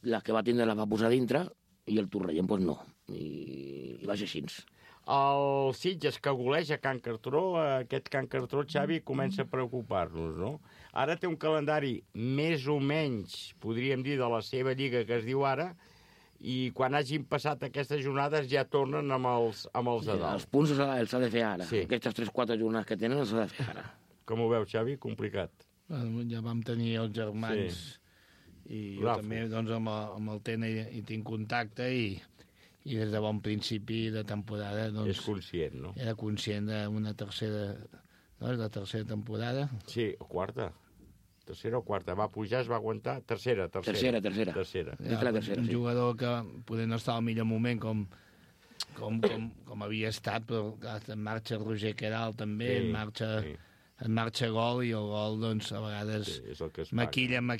Les que va tindre les va posar dintre i el Torrellenc, doncs no. I va ser així. El Sitges que goleja Can Cartró, aquest Can Cartró, Xavi, comença a preocupar-nos, no? Ara té un calendari més o menys, podríem dir, de la seva lliga que es diu ara, i quan hagin passat aquestes jornades ja tornen amb els de dalt. Els punts els ha de fer ara. Sí. Aquestes 3-4 jornades que tenen els ha de fer ara. Com ho veus, Xavi? Complicat. Ja vam tenir els germans i jo també doncs, amb el Tena hi tinc contacte i des de bon principi de temporada... Doncs, és conscient, no? Era conscient d'una tercera... No, és la tercera temporada? Sí, o quarta. Tercera o quarta. Va pujar, es va aguantar. Tercera. Tercera. Un jugador que poder no està al millor moment com havia estat, però en marxa Roger Queralt també, en marxa gol i el gol, doncs, a vegades maquillen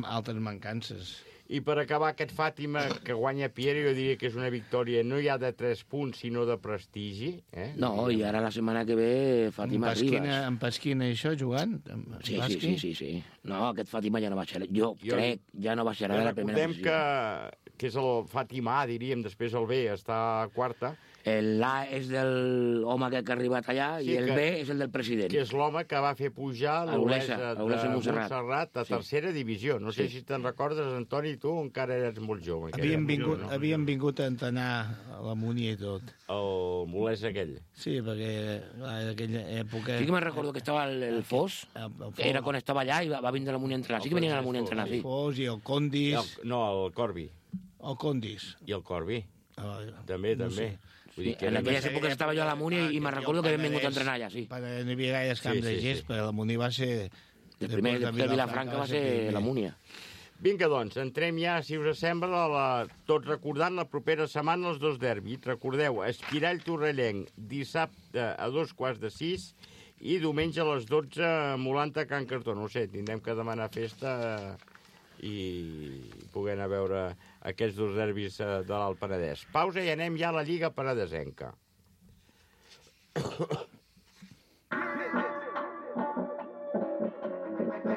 altres mancances. I per acabar aquest Fàtima que guanya Piero, jo diria que és una victòria no ja de 3 punts, sinó de prestigi. No, i ara la setmana que ve Fàtima Ribas. En Pasquina i això, jugant? Sí. No, aquest Fàtima ja no baixarà. Jo crec, ja no baixarà de la primera posició. Recordem que és el Fàtima A, diríem, després el B està a quarta. L'A és del home que ha arribat allà i el B és el del president. Que és l'home que va fer pujar l'Olesa de Montserrat a tercera divisió. No sé si te'n recordes, Antoni, tu encara eres molt jove. Havien vingut a entrenar a la Múnia i tot. El Molès aquell. Sí, perquè en aquella època... Sí que me'n recordo que estava el Fos, que era quan estava allà i va vindre a la Múnia a entrenar. Sí que venien a la Múnia a entrenar, sí. El Fos i el Condis... No, el Corbi. El Condis. I el Corbi. També. En aquelles èpoques estava jo a la Múnia i me'n recordo que vam vingut a entrenar allà, sí. No hi havia gaires camps de gest, perquè la Múnia va ser... El primer de Vilafranca va ser la Múnia. Vinga, doncs, entrem ja, si us sembla, tot recordant la propera setmana els dos derbis. Recordeu, Espirall Torrellenc, dissabte a 5:15 I diumenge a les 12, Molanta, Can Cartó. No sé, tindrem que demanar festa i poder anar a veure aquests dos derbis de l'Alt Penedès. Pausa i anem ja a la Lliga Penedesenca.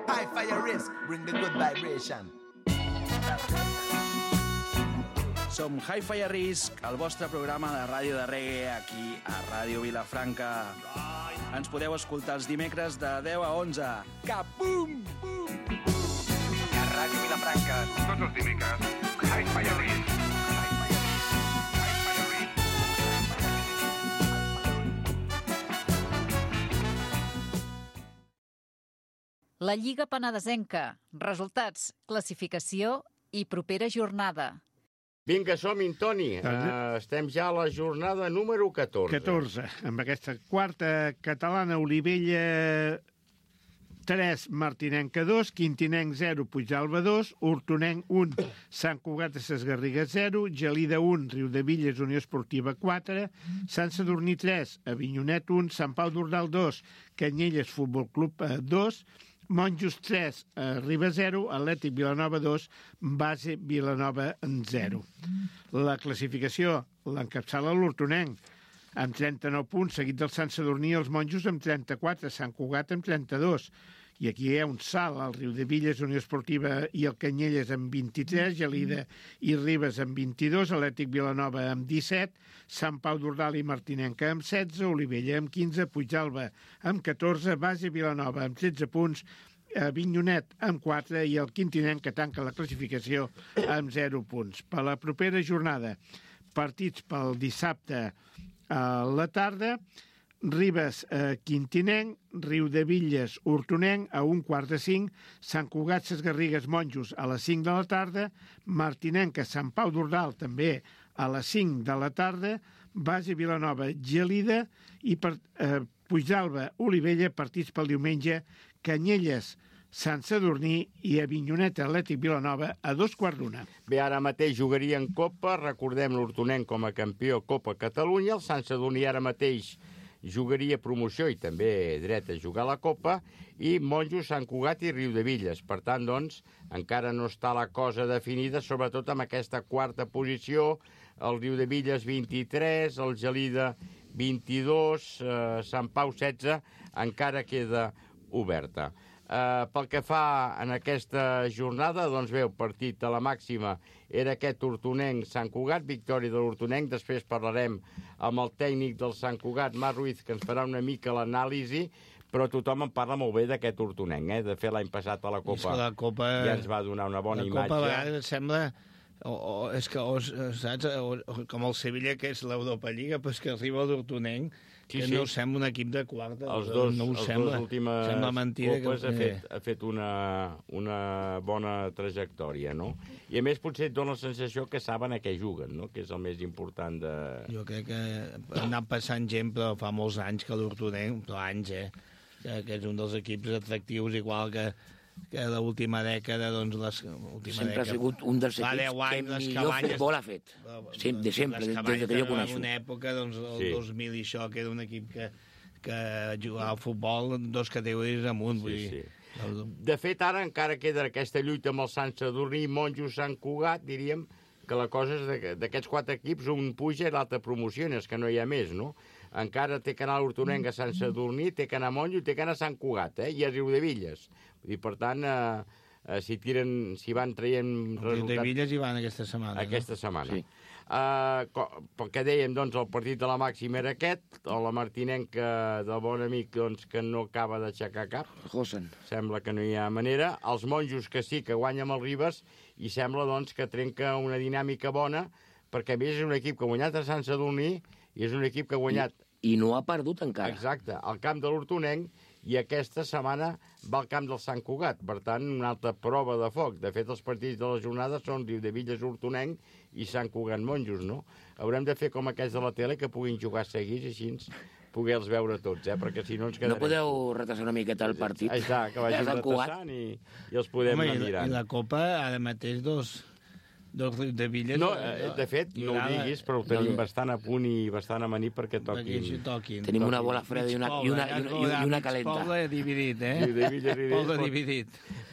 High fire risk, bring the good vibration. Som Hi-Fi a Risk, el vostre programa de ràdio de reggae aquí a Ràdio Vilafranca. Ens podeu escoltar els dimecres de 10 a 11. Capum! A Ràdio Vilafranca, tots els dimecres, Hi-Fi a Risk. La Lliga Penedesenca. Resultats, classificació i propera jornada. Vinga, som-hi, Toni. Estem ja a la jornada número 14. 14, amb aquesta quarta catalana, Olivella 3, Martinenca 2, Quintinenc 0, Puigdàlber 2, Hortonenc 1, Sant Cugat de Ses Garrigues 0, Gelida 1, Riudevilles Unió Esportiva 4, Sant Sadurní 3, Avinyonet 1, Sant Pau d'Ordal 2, Canyelles Futbol Club 2, Monjos 3, Riba 0, Atlètic Vilanova 2, Base Vilanova 0. La classificació l'encapçala l'Hortonenc, amb 39 punts, seguit del Sant Sadurní i els Monjos amb 34, Sant Cugat amb 32. I aquí hi ha un salt, el Riudevilles, Unió Esportiva i el Canyelles amb 23, Gelida i Ribes amb 22, Atlètic Vilanova amb 17, Sant Pau d'Ordal i Martinenca amb 16, Olivella amb 15, Puigdàlber amb 14, Base Vilanova amb 13 punts, Avinyonet amb 4 i el Quintinenc, que tanca la classificació amb 0 punts. Per la propera jornada, partits pel dissabte a la tarda, Ribes, Quintinenc, Riudevilles, Hortonenc, a 1:45, Sant Cugat, Ses Garrigues, Monjos, a les 5 de la tarda, Martinenca, Sant Pau d'Ordal, també a les 5 de la tarda, Base Vilanova, Gelida, i Puigdàlber, Olivella, partits pel diumenge, Canyelles, Sant Sadurní i Avinyonet, Atlètic Vilanova, a 2:15. Bé, ara mateix jugaria en Copa, recordem l'Hortonenc com a campió Copa Catalunya, el Sant Sadurní ara mateix jugaria promoció i també dret a jugar a la Copa, i Monjos, Sant Cugat i Riudevilles. Per tant, doncs, encara no està la cosa definida, sobretot amb aquesta quarta posició, el Riudevilles 23, el Gelida 22, Sant Pau 16, encara queda oberta. Pel que fa en aquesta jornada, doncs bé, el partit a la màxima era aquest Hortonenc-Sant Cugat, victòria de l'Hortonenc. Després parlarem amb el tècnic del Sant Cugat, Marc Ruiz, que ens farà una mica l'anàlisi, però tothom en parla molt bé d'aquest Hortonenc. De fet, l'any passat a la Copa ja ens va donar una bona imatge. La Copa a vegades sembla... és que, saps, com el Sevilla, que és l'Europa Lliga, però és que arriba l'Hortonenc, que no sembla un equip de quarta. Els dos últimes copes ha fet una bona trajectòria, no? I a més potser et dona la sensació que saben a què juguen, no? Que és el més important de... Jo crec que ha anat passant gent, però fa molts anys que l'Hortonenc, però anys, que és un dels equips atractius, igual que l'última dècada, doncs... Sempre ha sigut un dels equips que millor futbol ha fet. De sempre, des que jo coneixo. En una època, doncs, el 2000 i això, que era un equip que jugava al futbol dos categories amunt. De fet, ara encara queda aquesta lluita amb el Sant Sadurní, Monjos, Sant Cugat, diríem que la cosa és d'aquests 4 equips, un puja i l'altre promociona, és que no hi ha més, no? Encara té que anar a l'Hortonenc, a Sant Sadurní, té que anar a Monjos, té que anar a Sant Cugat, i a Riudevilles. I per tant, si van traient resultats... Riudevilles hi van aquesta setmana. Aquesta setmana. Sí. Pel que dèiem, doncs, el partit de la màxima era aquest, la Martinenca del bon amic, doncs, que no acaba d'aixecar cap. Sembla que no hi ha manera. Els Monjos, que sí, que guanya amb el Ribes, i sembla, doncs, que trenca una dinàmica bona, perquè a més és un equip que ha guanyat a Sant Sadurní i és un equip que ha guanyat... I no ha perdut encara. Exacte, al camp de l'Hortonenc, i aquesta setmana va al camp del Sant Cugat. Per tant, una altra prova de foc. De fet, els partits de la jornada són Riudevilles, Hortonenc i Sant Cugat Monjos, no? Haurem de fer com aquests de la tele, que puguin jugar seguits, així poder-los veure tots, perquè si no ens quedarem... No podeu retrasar una miqueta el partit? Exacte, que vagin retrasant i els podem anar mirant. I la Copa, ara mateix, del Riu de Villes. No, de fet, no ho diguis, però ho tenim bastant a punt i bastant amanir perquè toquin. Tenim una bola freda i una calenta. Poble dividit, Poble dividit.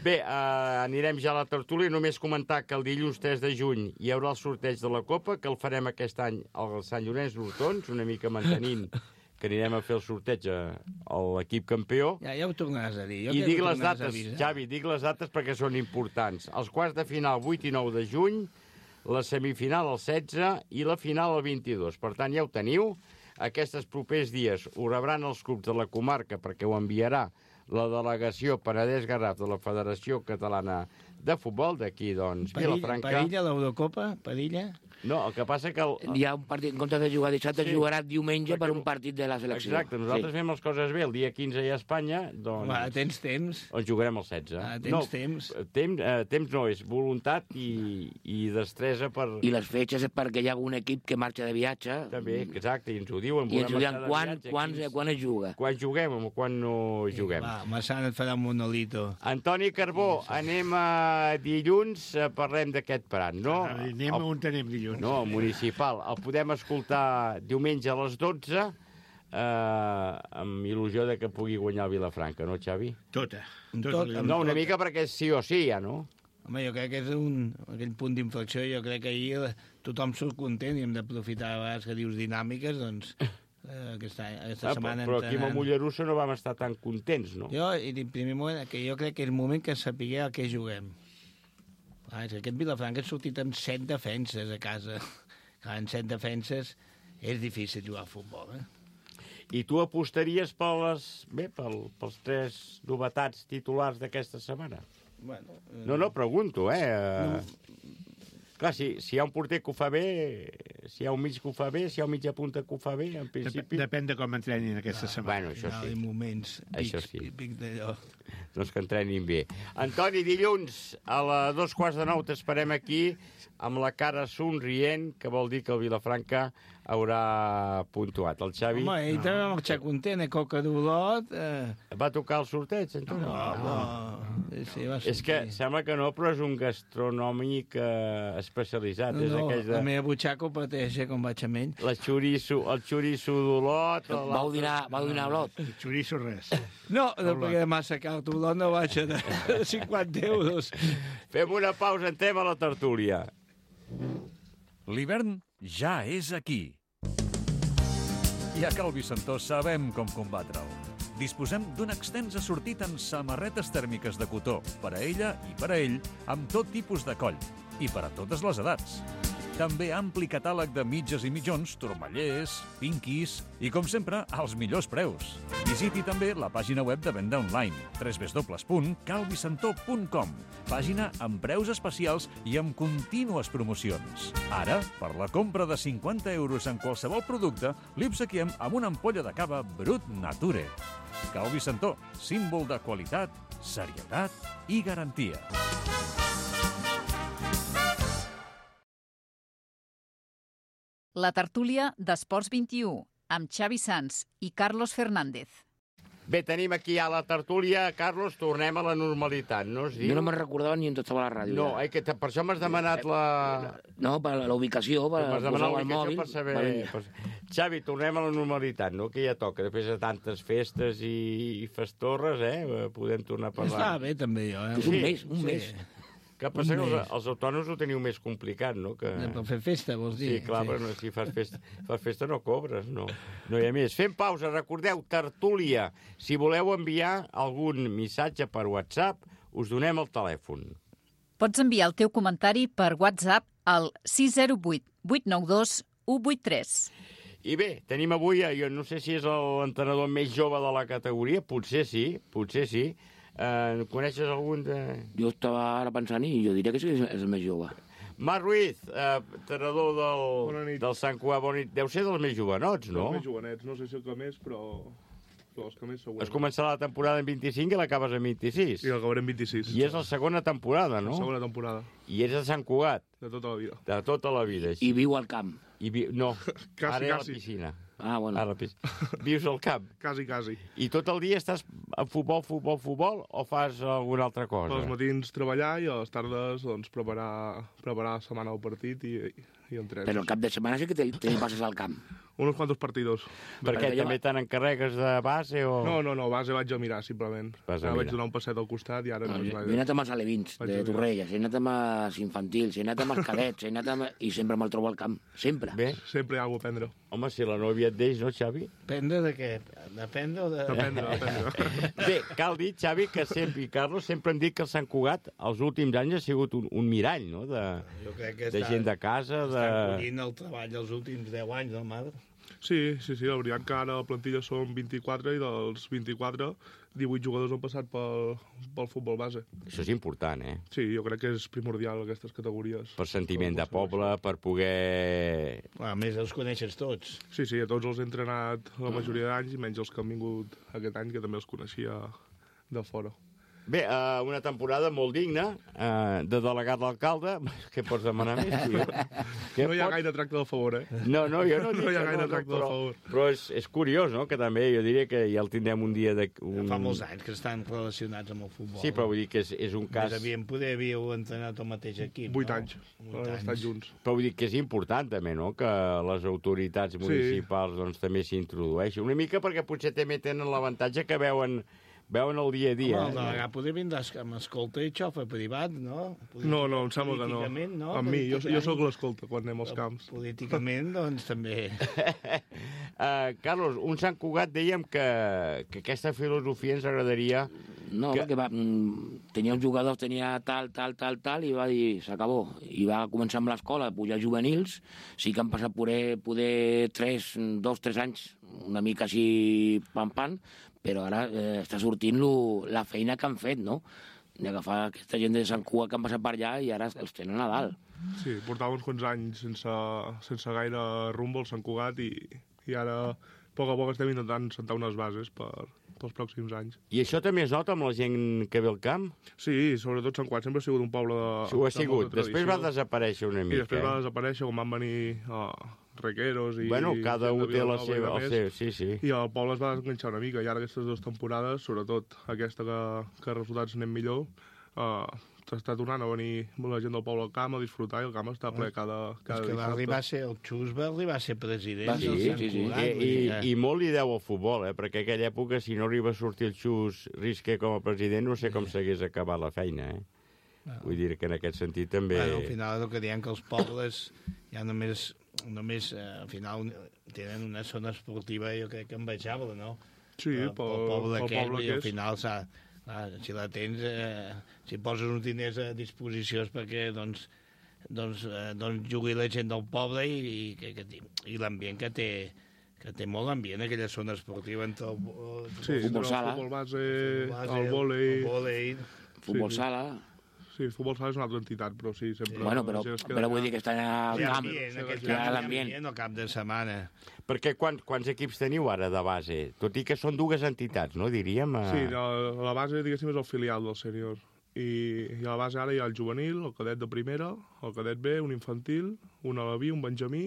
Bé, anirem ja a la tertúlia. Només comentar que el dilluns 3 de juny hi haurà el sorteig de la Copa, que el farem aquest any al Sant Llorenç d'Hortons, una mica mantenint que anirem a fer el sorteig a l'equip campió. Ja ho tornaràs a dir. I dic les dates, Xavi, dic les dates perquè són importants. Els quarts de final 8 i 9 de juny, la semifinal el 16 i la final el 22. Per tant, ja ho teniu. Aquests propers dies ho rebran els clubs de la comarca perquè ho enviarà la delegació Penedès-Garraf de la Federació Catalana de Futbol, d'aquí, doncs, Vilafranca. Padilla, l'Eurocopa, Padilla... No, el que passa que... Hi ha un partit, en comptes de jugar dissabte, es jugarà diumenge per un partit de la selecció. Exacte, nosaltres fem les coses bé. El dia 15 hi ha Espanya, doncs... tens temps. Ens jugarem el 16. Temps. Temps no, és voluntat i destresa per... I les fetges és perquè hi ha un equip que marxa de viatge. També, exacte, i ens ho diuen. I ens ho diuen quan es juga. Quan juguem o quan no juguem. Va, Massana et farà un monolito. Antoni Carbó, anem a dilluns, parlem d'aquest Prat, no? Anem on anem dilluns. No, municipal. El podem escoltar diumenge a les 12 amb il·lusió de que pugui guanyar el Vilafranca, no, Xavi? Tota. No, una mica perquè sí o sí, ja, no? Home, jo crec que és aquell punt d'inflexió. Jo crec que ahir tothom surt content i hem d'aprofitar a vegades que dius dinàmiques, doncs aquesta setmana... Però aquí a Mollerussa no vam estar tan contents, no? Jo, i en primer moment, que jo crec que és el moment que sapiguer a què juguem. Aquest Vilafranca ha sortit amb 7 defenses a casa. En 7 defenses és difícil jugar a futbol, I tu apostaries pels 3 novetats titulars d'aquesta setmana? Bueno, no, pregunto, Clar, si hi ha un porter que ho fa bé, si hi ha un mig que ho fa bé, si hi ha un mitja punta que ho fa bé, en principi... Depèn de com entrenin aquesta setmana. Bueno, això sí. Hi ha moments pic d'allò. Doncs que entrenin bé. Antoni, dilluns a les 2:15 t'esperem aquí amb la cara somrient, que vol dir que el Vilafranca haurà puntuat. El Xavi... Home, ell també va marxar content, Coca d'Olot... Va tocar el sorteig, Antoni? No. Sí, és que sembla que no, però és un gastronòmic especialitzat. No, la meva butxaca ho pateix, com vaig amb ell. El xoriço d'Olot... Vau dinar a Olot? El xoriço res. No, perquè de massa car, Olot no baixa de 50 euros. Fem una pausa, entrem a la tertúlia. L'hivern ja és aquí. I a Cal Vicentó sabem com combatre'l. Disposem d'un extens assortit en samarretes tèrmiques de cotó, per a ella i per a ell, amb tot tipus de coll, i per a totes les edats. També ampli catàleg de mitges i mitjons, turmallers, pinquis i, com sempre, als millors preus. Visiti també la pàgina web de venda online, www.calvicentó.com, pàgina amb preus especials i amb contínues promocions. Ara, per la compra de 50 euros en qualsevol producte, li obsequiem amb una ampolla de cava Brut Nature. Cal Vicentó, símbol de qualitat, serietat i garantia. La tertúlia d'Esports 21, amb Xavi Sans i Carlos Fernández. Bé, tenim aquí a la tertúlia, Carlos, tornem a la normalitat, no? Jo no me'n recordava ni on estava la ràdio. No, que per això m'has demanat la... No, per la ubicació, per posar el mòbil. Per saber... Xavi, tornem a la normalitat, no? Que ja toca, després de tantes festes i festorres, podem tornar a parlar. Està bé, també, jo. Un mes. Que passa que els autònoms ho teniu més complicat, no? Per fer festa, vols dir? Sí, clar, però si fas festa no cobres, no hi ha més. Fem pausa, recordeu, tertúlia. Si voleu enviar algun missatge per WhatsApp, us donem el telèfon. Pots enviar el teu comentari per WhatsApp al 608 892 183. I bé, tenim avui, jo no sé si és l'entrenador més jove de la categoria, potser sí. Coneixes algun de... Jo estava ara pensant i jo diria que sí que és el més jove. Marc Ruiz, entrenador del Sant Cugat, bona nit. Deu ser dels més jovenots, no? Dels més jovenets, no sé si el que més, però els que més segurament. Has començat la temporada en 25 i l'acabes en 26. I l'acabaré en 26. I és la segona temporada, no? La segona temporada. I ets de Sant Cugat? De tota la vida. De tota la vida, I viu al camp? No, quasi, ara a la piscina. Ah, bueno. Ara, vius al camp? Quasi. I tot el dia estàs a futbol, o fas alguna altra cosa? Els matins treballar i a les tardes doncs, preparar la setmana del partit i entrens. Però el cap de setmana sí que te passes al camp. Unos cuantos partidos. Per què, també te n'encarregues de base o...? No, base vaig a mirar, simplement. Vaig donar un passet al costat i ara... Jo he anat amb els alevins de Torrelles, he anat amb els infantils, he anat amb els cadets, i sempre me'l trobo al camp, sempre. Bé. Sempre hi ha alguna a prendre. Home, si la nòvia et deix, no, Xavi? Prendre de què? Dependre o de... Dependre. Bé, cal dir, Xavi, que sempre, i Carlos, sempre hem dit que el Sant Cugat els últims anys ha sigut un mirall, no?, de gent de casa, Estan collint el treball dels últims 10 anys, no, Madre? Sí, la veritat que ara la plantilla són 24 i dels 24, 18 jugadors han passat pel futbol base. Això és important, eh? Sí, jo crec que és primordial aquestes categories. Per sentiment de poble, per poder... A més, els coneixes tots. Sí, a tots els he entrenat la majoria d'anys, menys els que han vingut aquest any, que també els coneixia de fora. Bé, una temporada molt digna, de delegat d'alcalde. Què pots demanar més, tio? No hi ha gaire tracte del favor, eh? No, jo no dic no hi ha gaire tracte del favor. Però és curiós, no?, que també jo diria que ja el tindrem un dia... Fa molts anys que estan relacionats amb el futbol. Sí, però vull dir que és un cas... Més havíeu entrenat el mateix equip, 8 anys. Han estat junts. Però vull dir que és important, també, no?, que les autoritats municipals doncs, també s'introdueixin. Una mica perquè potser també tenen l'avantatge que veuen el dia a dia. Home, el delegat podria vindre amb escolta i xofa privat, no? No, em sembla que no. No? Amb mi, jo sóc l'escolta quan anem als camps. Políticament, doncs, també. Carlos, un Sant Cugat dèiem que aquesta filosofia ens agradaria... No, perquè tenia uns jugadors, tenia tal, i va dir, s'acabó. I va començar amb l'escola, a pujar juvenils, sí que han passat poder 2-3 anys, una mica així pam, però ara està sortint la feina que han fet, no?, d'agafar aquesta gent de Sant Cugat que han passat per allà i ara els tenen a dalt. Sí, portava uns quants anys sense gaire rumbo al Sant Cugat i ara a poc estem intentant sentar unes bases pels pròxims anys. I això també es nota amb la gent que ve al camp? Sí, sobretot Sant Cugat sempre ha sigut un poble de... Sí, ho ha sigut. Després va desaparèixer una mica. I després va desaparèixer quan van venir Requeros i... Bueno, cada un té el seu, sí. I el poble es va desenganxar una mica, i ara aquestes 2 temporades, sobretot aquesta que els resultats anem millor, està tornant a venir la gent del poble al camp a disfrutar, i el camp està ple cada que va arribar a ser, el Xus va arribar a ser president. Sí. I molt li deu al futbol, perquè en aquella època, si no arriba a sortir el Xus Risque com a president, no sé com s'hagués acabat la feina, Vull dir que en aquest sentit també... Al final és el que diem, que els pobles ja només al final tenen una zona esportiva, jo crec que envejable, no? Sí, pel poble que és. I al final si la tens, si poses uns diners a disposició perquè doncs jugui la gent del poble i l'ambient que té molt ambient, aquella zona esportiva entre el futbol base, el vòlei... Futbol sala... Sí, el futbol sala és una altra entitat, però sí, sempre... Bueno, però vull dir que estan al camp. Hi ha l'ambient al cap de setmana. Perquè quants equips teniu ara de base? Tot i que són 2 entitats, no, diríem? Sí, la base, diguéssim, és el filial del sènior. I a la base ara hi ha el juvenil, el cadet de primera, el cadet B, un infantil, un alaví, un benjamí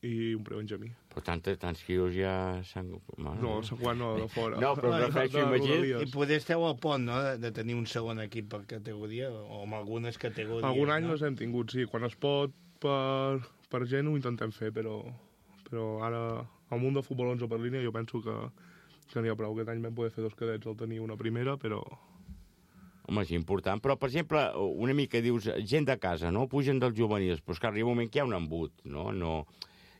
i un prebenjamí. Però tants quios ja s'han... No, Sant Cugat no, de fora. No, però prefereixo imaginar... I poder esteu al pont, no?, de tenir un segon equip per categoria, o amb algunes categories. Algun any les hem tingut, sí. Quan es pot per gent ho intentem fer, però ara al munt de futbol 11 per línia jo penso que n'hi ha prou. Aquest any vam poder fer 2 cadets al tenir una primera, però... Home, és important. Però, per exemple, una mica dius, gent de casa, no?, pugen dels juvenils, però és que arriba un moment que hi ha un embut, no...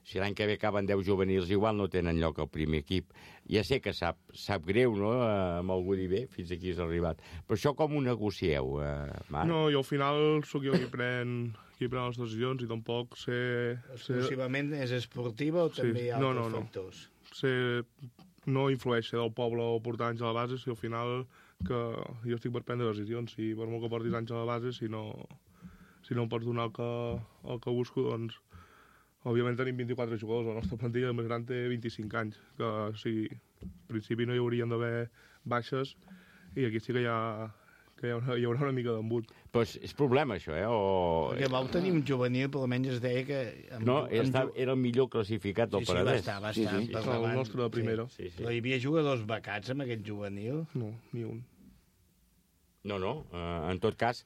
Si l'any que ve acaben 10 juvenils, igual no tenen lloc al primer equip. Ja sé que sap greu, no?, amb algú dir bé, fins aquí has arribat. Però això com ho negocieu, Marc? No, jo al final sóc jo qui pren les decisions i tampoc sé... Exclusivament és esportiva o també hi ha altres factors? No influeix ser del poble o portar anys a la base, si al final que jo estic per prendre decisions. Si per molt que portis anys a la base, si no em pots donar el que busco, doncs... Òbviament tenim 24 jugadors, la nostra plantilla més gran té 25 anys, que sí, en principi no hi haurien d'haver baixes, i aquí sí que hi haurà una mica d'embut. Pues és problema, això, Perquè vau tenir un juvenil, per almenys es deia que... No, era el millor classificat del Penedès. Va estar. El nostre de primera. Però hi havia jugadors becats amb aquest juvenil? No, ni un. No. En tot cas,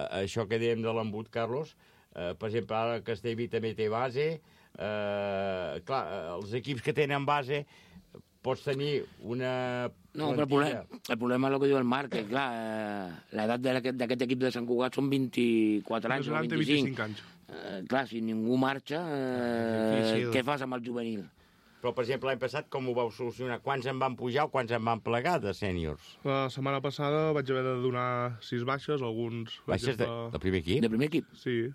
això que dèiem de l'embut, Carlos, per exemple, ara Castellví també té base. Clar, els equips que tenen base pots tenir una... No, però el problema és el que diu el Marc, que clar, l'edat d'aquest equip de Sant Cugat són 24 anys o 25 anys. Clar, si ningú marxa, què fas amb el juvenil? Però, per exemple, l'any passat com ho vau solucionar? Quants en van pujar o quants en van plegar de sèniors? La setmana passada vaig haver de donar 6 baixes, alguns... Baixes del primer equip? Del primer equip? Sí,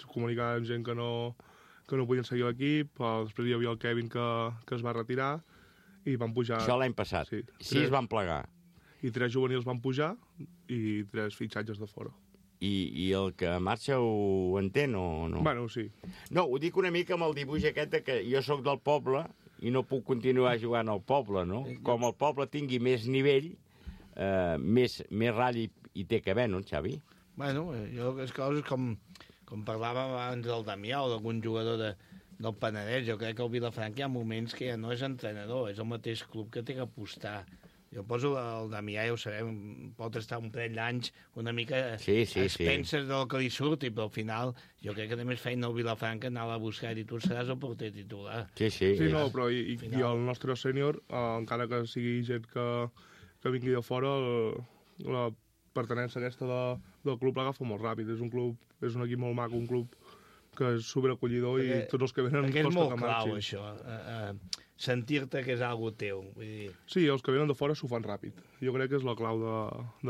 comunicar amb gent que no podien seguir l'equip, després hi havia el Kevin que es va retirar, i van pujar... Això l'any passat. Sí, 6 van plegar. I 3 juvenils van pujar i 3 fitxatges de fora. I el que marxa ho entén o no? Bueno, sí. No, ho dic una mica amb el dibuix aquest que jo sóc del poble i no puc continuar jugant al poble, no? Com el poble tingui més nivell, més ratll hi té que haver, no, Xavi? Bueno, jo les coses com parlàvem abans del Damià o d'algun jugador del Penedès, jo crec que el Vilafranca hi ha moments que ja no és entrenador, és el mateix club que té que apostar. Jo poso el Damià, ja ho sabem, pot estar un parell d'anys una mica penses del que li surti, però al final jo crec que té més feina el Vilafranca anar-la a buscar i dir tu seràs el porter titular. Sí, no, però i el nostre sènior, encara que sigui gent que vingui de fora, la pertenença aquesta del club l'agafa molt ràpid. És un equip molt maco, un club que és superacollidor i tots els que venen costa que marxin. Perquè és molt clau, això, sentir-te que és algo teu. Vull dir... Sí, els que venen de fora s'ho fan ràpid. Jo crec que és la clau de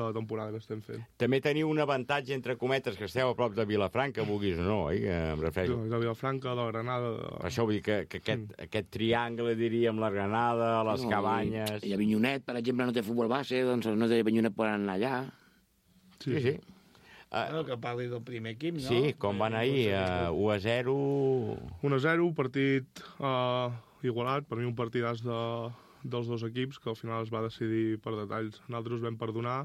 la temporada que estem fent. També teniu un avantatge, entre cometes, que esteu a prop de Vilafranca, vulguis o no, oi? Em refereixo. De Vilafranca, de la Granada... Per això vull dir que aquest triangle, diríem, la Granada, les Cabanyes... I a Avinyonet, per exemple, no té futbol base, doncs no té Avinyonet poden anar allà. Sí. Que parli del primer equip, no? Sí, com van ahir, 1-0... 1-0, partit igualat, per mi un partidàs dels dos equips, que al final es va decidir per detalls. Nosaltres vam perdonar,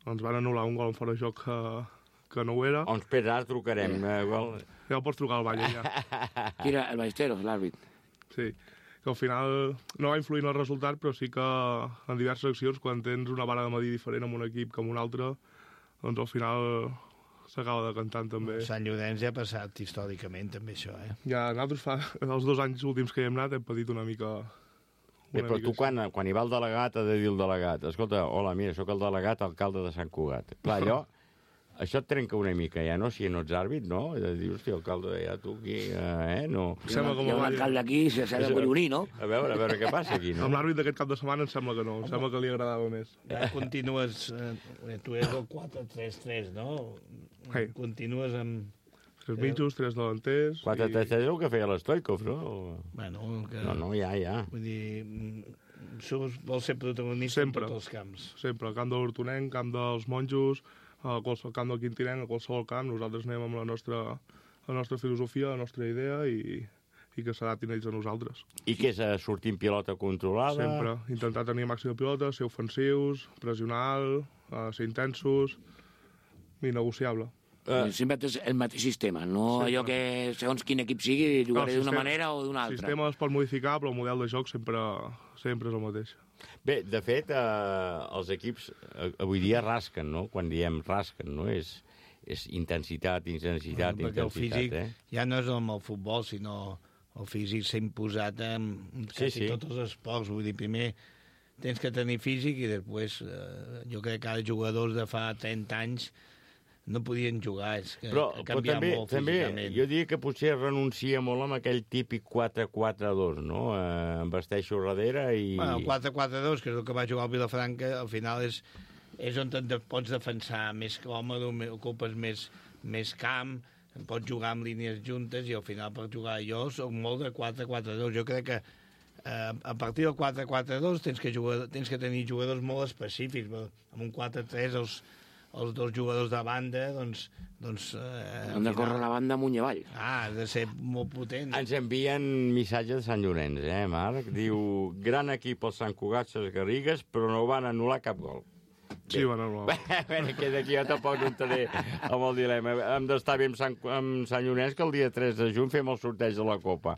ens van anul·lar un gol en fora de joc que no ho era. On espera, ara trucarem. Ja el pots trucar al Valle, ja. Tira el Ballesteros, l'àrbit. Sí, que al final no va influir en el resultat, però sí que en diverses accions, quan tens una vara de medir diferent amb un equip que amb un altre, doncs al final s'acaba decantant també. Sant Llorenç ja ha passat històricament també això, Ja, nosaltres els 2 anys últims que hi hem anat hem patit una mica... Però tu quan hi va el delegat ha de dir el delegat, escolta, hola, mira, sóc el delegat alcalde de Sant Cugat. Clar, això et trenca una mica, ja, no? Si no ets àrbit, no? De dir, hòstia, alcalde, ja tu aquí, no? Hi ha un alcalde aquí, s'ha de collonir, no? A veure què passa aquí, no? Amb l'àrbit d'aquest cap de setmana em sembla que no, em sembla que li agradava més. Ja continues, tu eres el 4-3-3, no? Continues amb... 3 mitjos, 3 delanters... 4-3-3 és el que feia l'Stoikov, no? Bueno, No, ja. Vull dir, vols ser protagonista en tots els camps. Sempre, al camp de l'Hortonenc, camp dels Monjos, al camp del Quintinenc, a qualsevol camp, nosaltres anem amb la nostra filosofia, la nostra idea i que s'adaptin ells a nosaltres. I què és sortir en pilota controlada? Sempre, intentar tenir màxima pilota, ser ofensius, pressionar alt, ser intensos, innegociable. Sempre és el mateix sistema, no allò que segons quin equip sigui jugaré d'una manera o d'una altra. El sistema es pot modificar, però el model de joc sempre és el mateix. Bé, de fet, els equips avui dia rasquen, no? Quan diem rasquen, no? És intensitat. Perquè el físic ja no és com el futbol, sinó el físic s'ha imposat en quasi tots els esports. Vull dir, primer tens que tenir físic i després jo crec que ara jugadors de fa 30 anys no podien jugar, és que ha canviat molt físicament. També, jo diria que potser renuncia molt amb aquell típic 4-4-2, no? Em vesteixo darrere i... Bueno, el 4-4-2, que és el que va jugar al Vilafranca, al final és on et pots defensar més còmode, ocupes més camp, pots jugar amb línies juntes i al final per jugar jo soc molt de 4-4-2. Jo crec que a partir del 4-4-2 tens que tenir jugadors molt específics. Amb un 4-3 els 2 jugadors de banda, doncs... Han de córrer la banda amunt i avall. Ha de ser molt potent. Ens envien missatge de Sant Llorenç, Marc? Diu, gran equip el Sant Cugat, les Garrigues, però no van anul·lar cap gol. Sí, bueno, no. Que d'aquí jo tampoc no entraré amb el dilema. Hem d'estar bé amb Sant Llorenç, que el dia 3 de juny fem el sorteig de la Copa.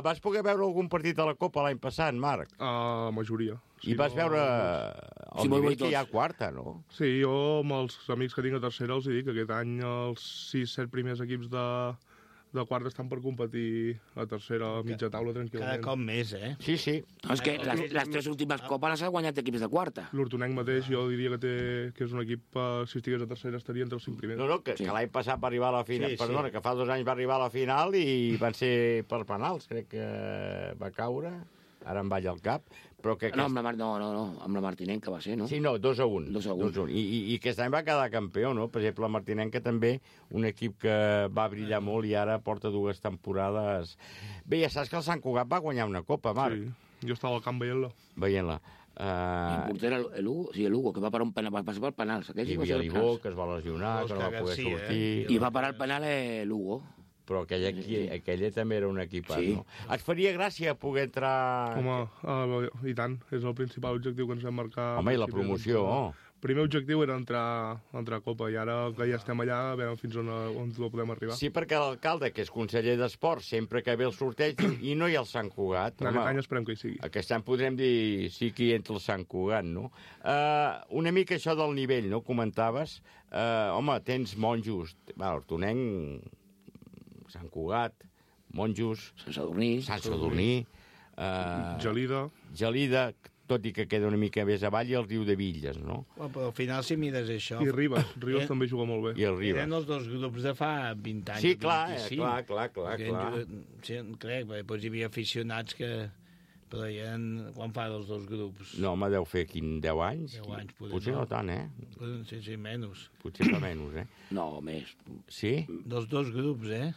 Vas poder veure algun partit de la Copa l'any passat, Marc? Majoria. I vas veure el nivell que hi ha a quarta, no? Sí, jo amb els amics que tinc a tercera els dic que aquest any els 6-7 primers equips de quarta estan per competir a tercera, a mitja taula, tranquil·lament. Cada cop més, eh? Sí, sí. No, és que les 3 últimes copes les ha guanyat equips de quarta. L'Hortonenc mateix jo diria que és un equip, si estigués a tercera estaria entre els 5 primers. No, que l'any passat va arribar a la final, perdona, que fa 2 anys va arribar a la final i van ser per penals, crec que va caure, ara em balla el cap, però que... No, amb la Martinenca va ser, no? Sí, no, 2-1. 2-1. I aquest any va quedar campió, no? Per exemple, la Martinenca també, un equip que va brillar molt i ara porta 2 temporades. Bé, ja saps que el Sant Cugat va guanyar una copa, Marc. Sí, jo estava al camp veient-la. Veient-la. I el porter el Lugo, que va parar un penal, va passar per penals. Hi havia l'Ibó, que es va lesionar, que no va poder sortir. I va parar el penal Lugo. Però aquella també era un equipat, no? Et faria gràcia poder entrar... Home, i tant, és el principal objectiu que ens vam marcar. Home, i la promoció, El primer objectiu era entrar a Copa, i ara que ja estem allà, a veure fins on podem arribar. Sí, perquè l'alcalde, que és conseller d'Esports, sempre que ve el sorteig, i no hi ha el Sant Cugat. Aquest any esperem que hi sigui. Aquest any podrem dir sí que hi entra el Sant Cugat, no? Una mica això del nivell, no? Comentaves. Home, tens monjos, Hortonenc, Sant Cugat, Monjos, Sant Sadurní, Gelida, tot i que queda una mica més avall, i el Riu de Villes, no? Però al final, si mires això... I Ribes també juga molt bé. I el Ribes. Eren els 2 grups de fa 20 anys. Sí, clar. Sí, crec, perquè hi havia aficionats que... Però quan fa els 2 grups? No, home, deu fer 10 anys. 10 anys, potser no tant, eh? Sí, menys. Potser fa menys, eh? No, més. Sí? Dels 2 grups, eh?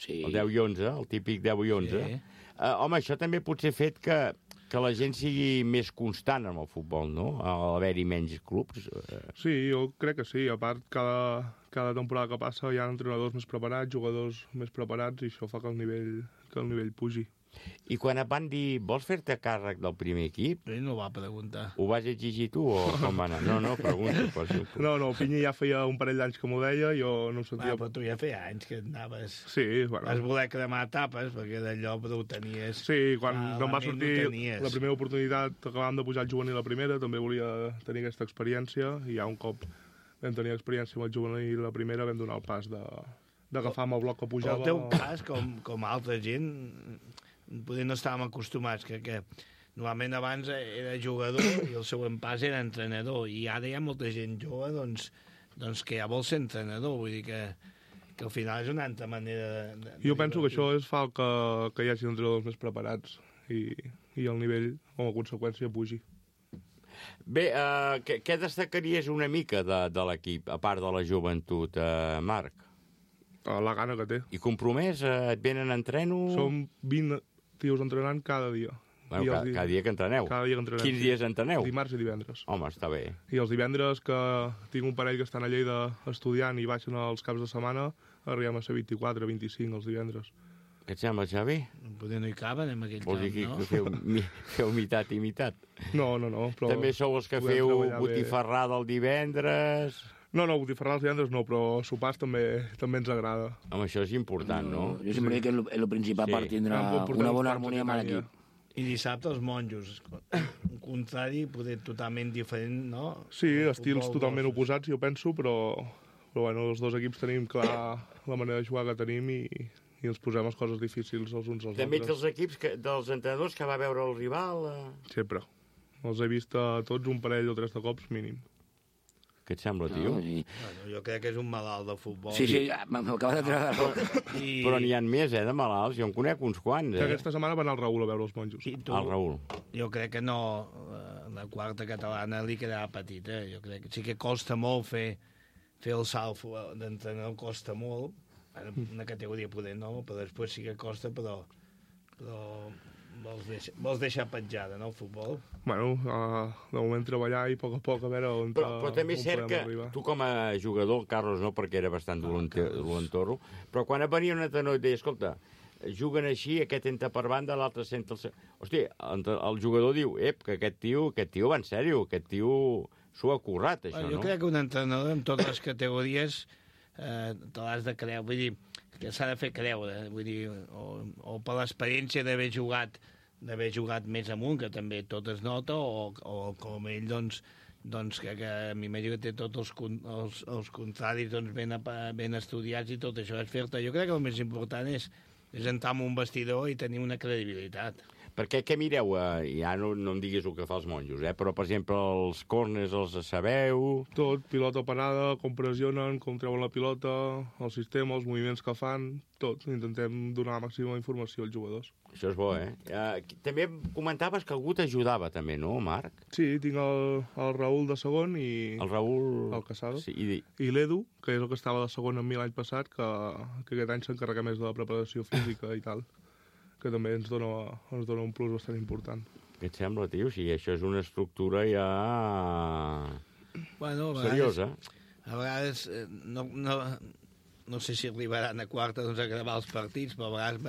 Sí. El 10 i 11, el típic 10 i 11. Sí. Home, això també potser ha fet que la gent sigui més constant en el futbol, no? A l'haver-hi menys clubs. Sí, jo crec que sí. A part, cada temporada que passa hi ha entrenadors més preparats, jugadors més preparats, i això fa que el nivell pugi. I quan et van dir, vols fer-te càrrec del primer equip? Ell no va preguntar. Ho vas exigir tu o com va anar? No, pregunto. No, Pinyi ja feia un parell d'anys que m'ho deia, jo no em sentia... Però tu ja feia anys que anaves... Sí, bueno... Vas voler cremar tapes, perquè d'allò però ho tenies... Sí, quan em va sortir la primera oportunitat, acabàvem de pujar el juvenil a primera, també volia tenir aquesta experiència, i ja un cop vam tenir experiència amb el juvenil la primera, vam donar el pas d'agafar amb el bloc que pujava... Però el teu cas, com altra gent... Potser no estàvem acostumats, que normalment abans era jugador i el següent pas era entrenador, i ara hi ha molta gent jove doncs que ja vol ser entrenador, vull dir que al final és una altra manera Jo penso que això fa que hi hagi entrenadors més preparats i el nivell, com a conseqüència, pugi. Bé, què destacaries una mica de l'equip, a part de la joventut, Marc? La gana que té. I compromès? Et venen a entreno? Som 20 tios entrenant cada dia. Bueno, cada dia que entreneu? Cada dia que entrenem. Quins dies entreneu? Dimarts i divendres. Home, està bé. I els divendres, que tinc un parell que estan a Lleida estudiant i baixen els caps de setmana, arribem a ser 24, 25 els divendres. Què et sembla, Xavi? Potser no hi caben en aquell camp, no? Vols dir que feu mitat i mitat? No, però... També sou els que feu botifarrada el divendres... No, botifarrar els divendres no, però sopars també ens agrada. Home, això és important, no? Jo sempre dic que és el principal per tindre una bona harmonia amb l'equip. I dissabte els monjos, un contrari, poder totalment diferent, no? Sí, estils totalment oposats, jo penso, però bueno, els 2 equips tenim clar la manera de jugar que tenim i ens posem les coses difícils els uns als altres. També ets dels equips, dels entrenadors que va veure el rival? Sempre. Els he vist a tots un parell o 3 de cops mínim. Què et sembla, tio? Bueno, jo crec que és un malalt de futbol. Sí, m'acaba de treure. Però n'hi ha més, de malalts. Jo en conec uns quants, Aquesta setmana va anar el Raül a veure els monjos. El Raül. Jo crec que no... La quarta catalana li quedarà petita. Jo crec que sí que costa molt fer el salt d'entrenador, costa molt. Una categoria poder no, però després sí que costa, però vols deixar petjada, no, el futbol? Bueno, de moment treballar i a poc a veure on però també és cert que tu com a jugador, Carlos no, perquè era bastant dolentorro, però quan venia un entrenador i deia, escolta, juguen així, aquest entra per banda, l'altre senta el... Hòstia, el jugador diu, que aquest tio va en sèrio, aquest tio s'ho ha currat, això, Jo crec que un entrenador en totes les categories te l'has de creure, vull dir, que s'ha de fer creure, vull dir, o per l'experiència d'haver jugat més amunt, que també tot es nota, o com ell, doncs que m'imagino que té tots els contraris ben estudiats i tot això és fer-te. Jo crec que el més important és entrar en un vestidor i tenir una credibilitat. Perquè què mireu? Ja no em diguis el que fa els monjos, però, per exemple, els córners els sabeu? Tot, pilota parada, com pressionen, com treuen la pilota, el sistema, els moviments que fan, tot. Intentem donar la màxima informació als jugadors. Això és bo, També comentaves que algú t'ajudava, també, no, Marc? Sí, tinc el Raül de segon i... El Raül... El Casado. Sí, I l'Edu, que és el que estava de segon amb mi l'any passat, que aquest any s'encarrega més de la preparació física i tal, que també ens dona un plus bastant important. Què et sembla, tio? Si això és una estructura ja... Bueno, seriosa. A vegades, no sé si arribaran a quarta a gravar els partits, però a vegades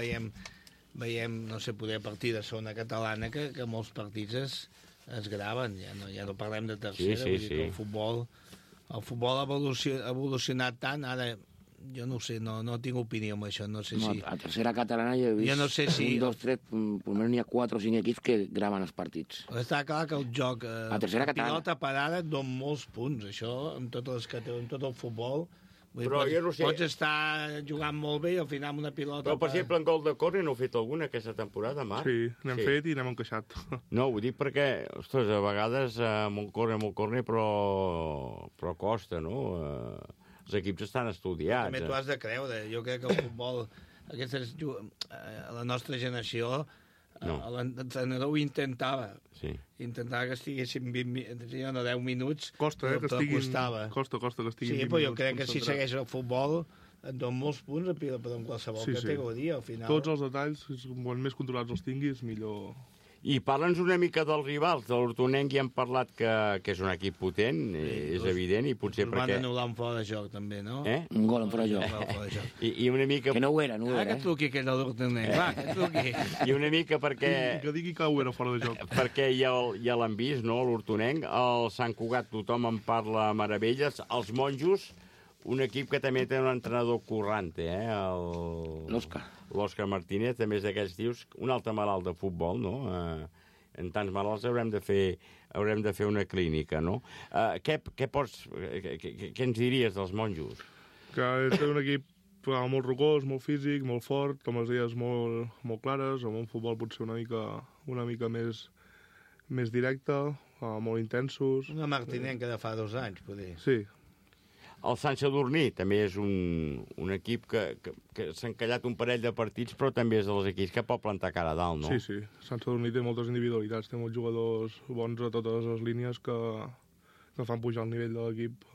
veiem, no sé, poder partir de segona catalana, que molts partits es graven, ja no parlem de tercera, vull dir que el futbol ha evolucionat tant, ara jo no ho sé, no tinc opinió amb això, no sé si... A tercera catalana jo he vist 1, 2, 3, potser n'hi ha 4 o 5 equips que graven els partits. Està clar que el joc, a tercera catalana, pilota parada et dona molts punts, això, en tot el futbol. Però jo no sé... Pots estar jugant molt bé i al final amb una pilota... Però, per exemple, en gol de córner n'heu fet alguna aquesta temporada, Marc? Sí, n'hem fet i n'hem encaixat. No, ho dic perquè, ostres, a vegades molt córner, però costa, no? Els equips estan estudiats. També t'ho has de creure. Jo crec que el futbol, la nostra generació, l'entrenador ho intentava. Sí. Intentava que estiguessin 10 minuts. Costa, que estiguin... Costa que estiguin 20 minuts. Sí, però jo crec que si segueix el futbol et dona molts punts però en qualsevol categoria, al final. Tots els detalls, quan més controlats els tinguis, millor... I parla'ns una mica dels rivals. De l'Hortonenc ja hem parlat que és un equip potent, és evident, i potser perquè... Van anul·lar un fora de joc, també, no? Un gol en fora de joc. I una mica... Que no ho era, Ara que truqui aquell de l'Hortonenc, va, que truqui. I una mica perquè... Que digui que ho era fora de joc. Perquè ja l'han vist, no?, l'Hortonenc. El Sant Cugat tothom en parla meravelles. Els monjos, un equip que també té un entrenador currante, l'Òscar Martínez, també és d'aquells tios, un altre malalt de futbol, no? En tants malalts haurem de fer una clínica, no? Què ens diries dels monjos? Que és un equip molt rocós, molt físic, molt fort, amb les idees molt clares, amb un futbol potser una mica més directe, molt intensos. Una Martinenca de fa 2 anys, poder. Sí. El Sant Sadurní també és un equip que s'ha encallat un parell de partits, però també és dels equips que pot plantar cara a dalt, no? Sí. Sant Sadurní té moltes individualitats, té molts jugadors bons a totes les línies que fan pujar el nivell de l'equip.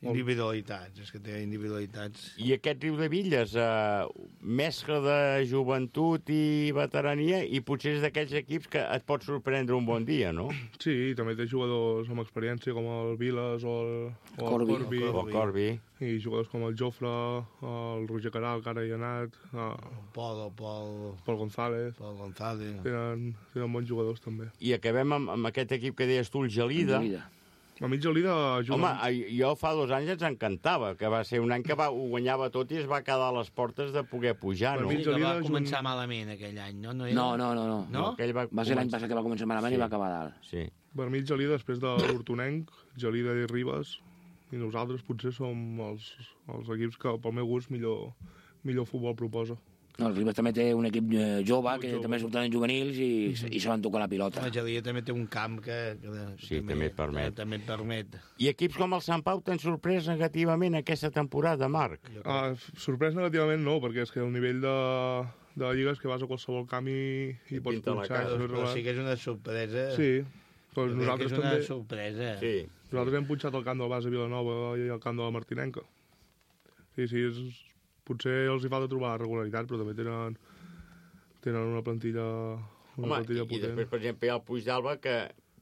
Individualitats, és que té individualitats. I aquest Riudevilles, mescla de joventut i veterania, i potser és d'aquells equips que et pot sorprendre un bon dia, no? Sí, també té jugadors amb experiència com el Vilas o el Corbi. I jugadors com el Jofre, el Roger Caral, que ara hi ha anat, Pol González. Tenen bons jugadors, també. I acabem amb aquest equip que deies tu, el Gelida. A mi Gelida juga... Home, jo fa 2 anys ens encantava, que va ser un any que ho guanyava tot i es va quedar a les portes de poder pujar, no? Que va començar malament aquell any, no? No. Va ser l'any passat que va començar malament i va acabar dalt. Sí. Per mi Gelida, després de l'Hortonenc, Gelida i Ribes, i nosaltres potser som els equips que, pel meu gust, millor futbol proposa. No, el Ribes també té un equip jove, que també surten en juvenils i saben tocar la pilota. La Gelida també té un camp que també et permet. I equips com el Sant Pau t'han sorprès negativament aquesta temporada, Marc? Sorprès negativament no, perquè és que el nivell de la Lliga és que vas a qualsevol camp i pots punxar. Però sí que és una sorpresa. Sí, doncs nosaltres també... És una sorpresa. Sí. Nosaltres hem punxat el camp del Basa Vilanova i el camp de la Martinenca. Sí, potser els hi falta trobar regularitat, però també tenen una plantilla potent. I després, per exemple, hi ha el Puig d'Alba, que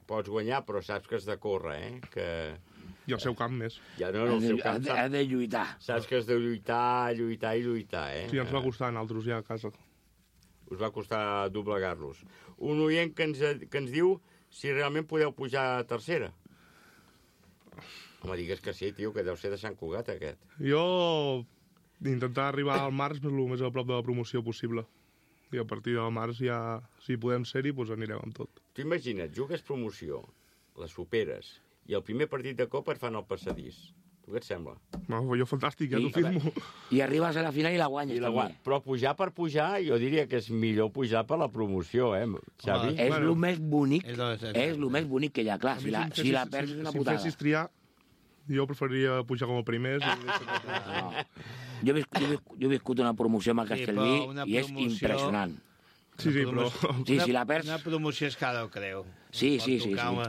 pots guanyar, però saps que has de córrer, I el seu camp més. Ja no, el seu camp ha de lluitar. Saps que has de lluitar, Sí, ens va costar nosaltres ja a casa. Us va costar doblegar-los. Un oient que ens diu si realment podeu pujar a tercera. Home, digues que sí, tio, que deu ser de Sant Cugat, aquest. Jo intentar arribar al març el més a prop de la promoció possible. I a partir del març ja, si podem ser-hi, doncs anirem amb tot. Tu imagina't, jugues promoció, la superes, i el primer partit de Copa et fan el passadís. Tu què et sembla? No, jo fantàstic, ja t'ho firmo. I arribes a la final i la guanyes. Però pujar per pujar, jo diria que és millor pujar per la promoció, Xavi? És el més bonic, és el més bonic que hi ha, clar. Si la perds és una putada. Si em fessis triar, jo preferiria pujar com a primer. Jo he viscut una promoció amb el Castellví i és impressionant. Sí, però... Si la perds... Una promoció és cada creu. Sí.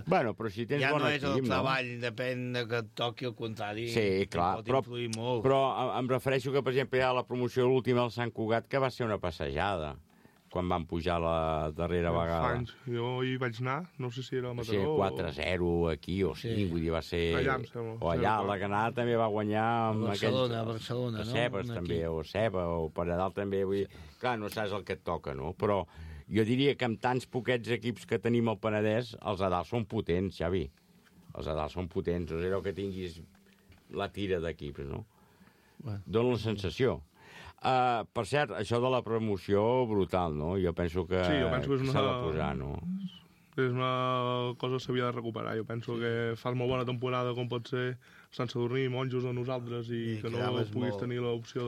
Bueno, però si tens ja bon no equip, és el treball, depèn de que et toqui el contrari. Sí, clar, però em refereixo que, per exemple, hi ha la promoció última al Sant Cugat, que va ser una passejada, quan van pujar la darrera vegada. Anys. Jo hi vaig anar, no sé si era a Mataró... Va ser 4-0 aquí o 5, vull dir, va ser... Allà, em sembla. O allà, la Granada també va guanyar amb Barcelona, Barcelona, no? Cebes també, o Ceba, o per a dalt també, vull dir... Clar, no saps el que et toca, no? Però jo diria que amb tants poquets equips que tenim al Penedès, els a dalt són potents, Xavi. Els a dalt són potents, no és allò que tinguis la tira d'equips, no? Dóna la sensació. Per cert, això de la promoció, brutal, no? Jo penso que s'ha de posar, no? És una cosa que s'havia de recuperar. Jo penso que fas molt bona temporada, com pot ser Sant Sadurní, Monjos o nosaltres, i que no puguis tenir l'opció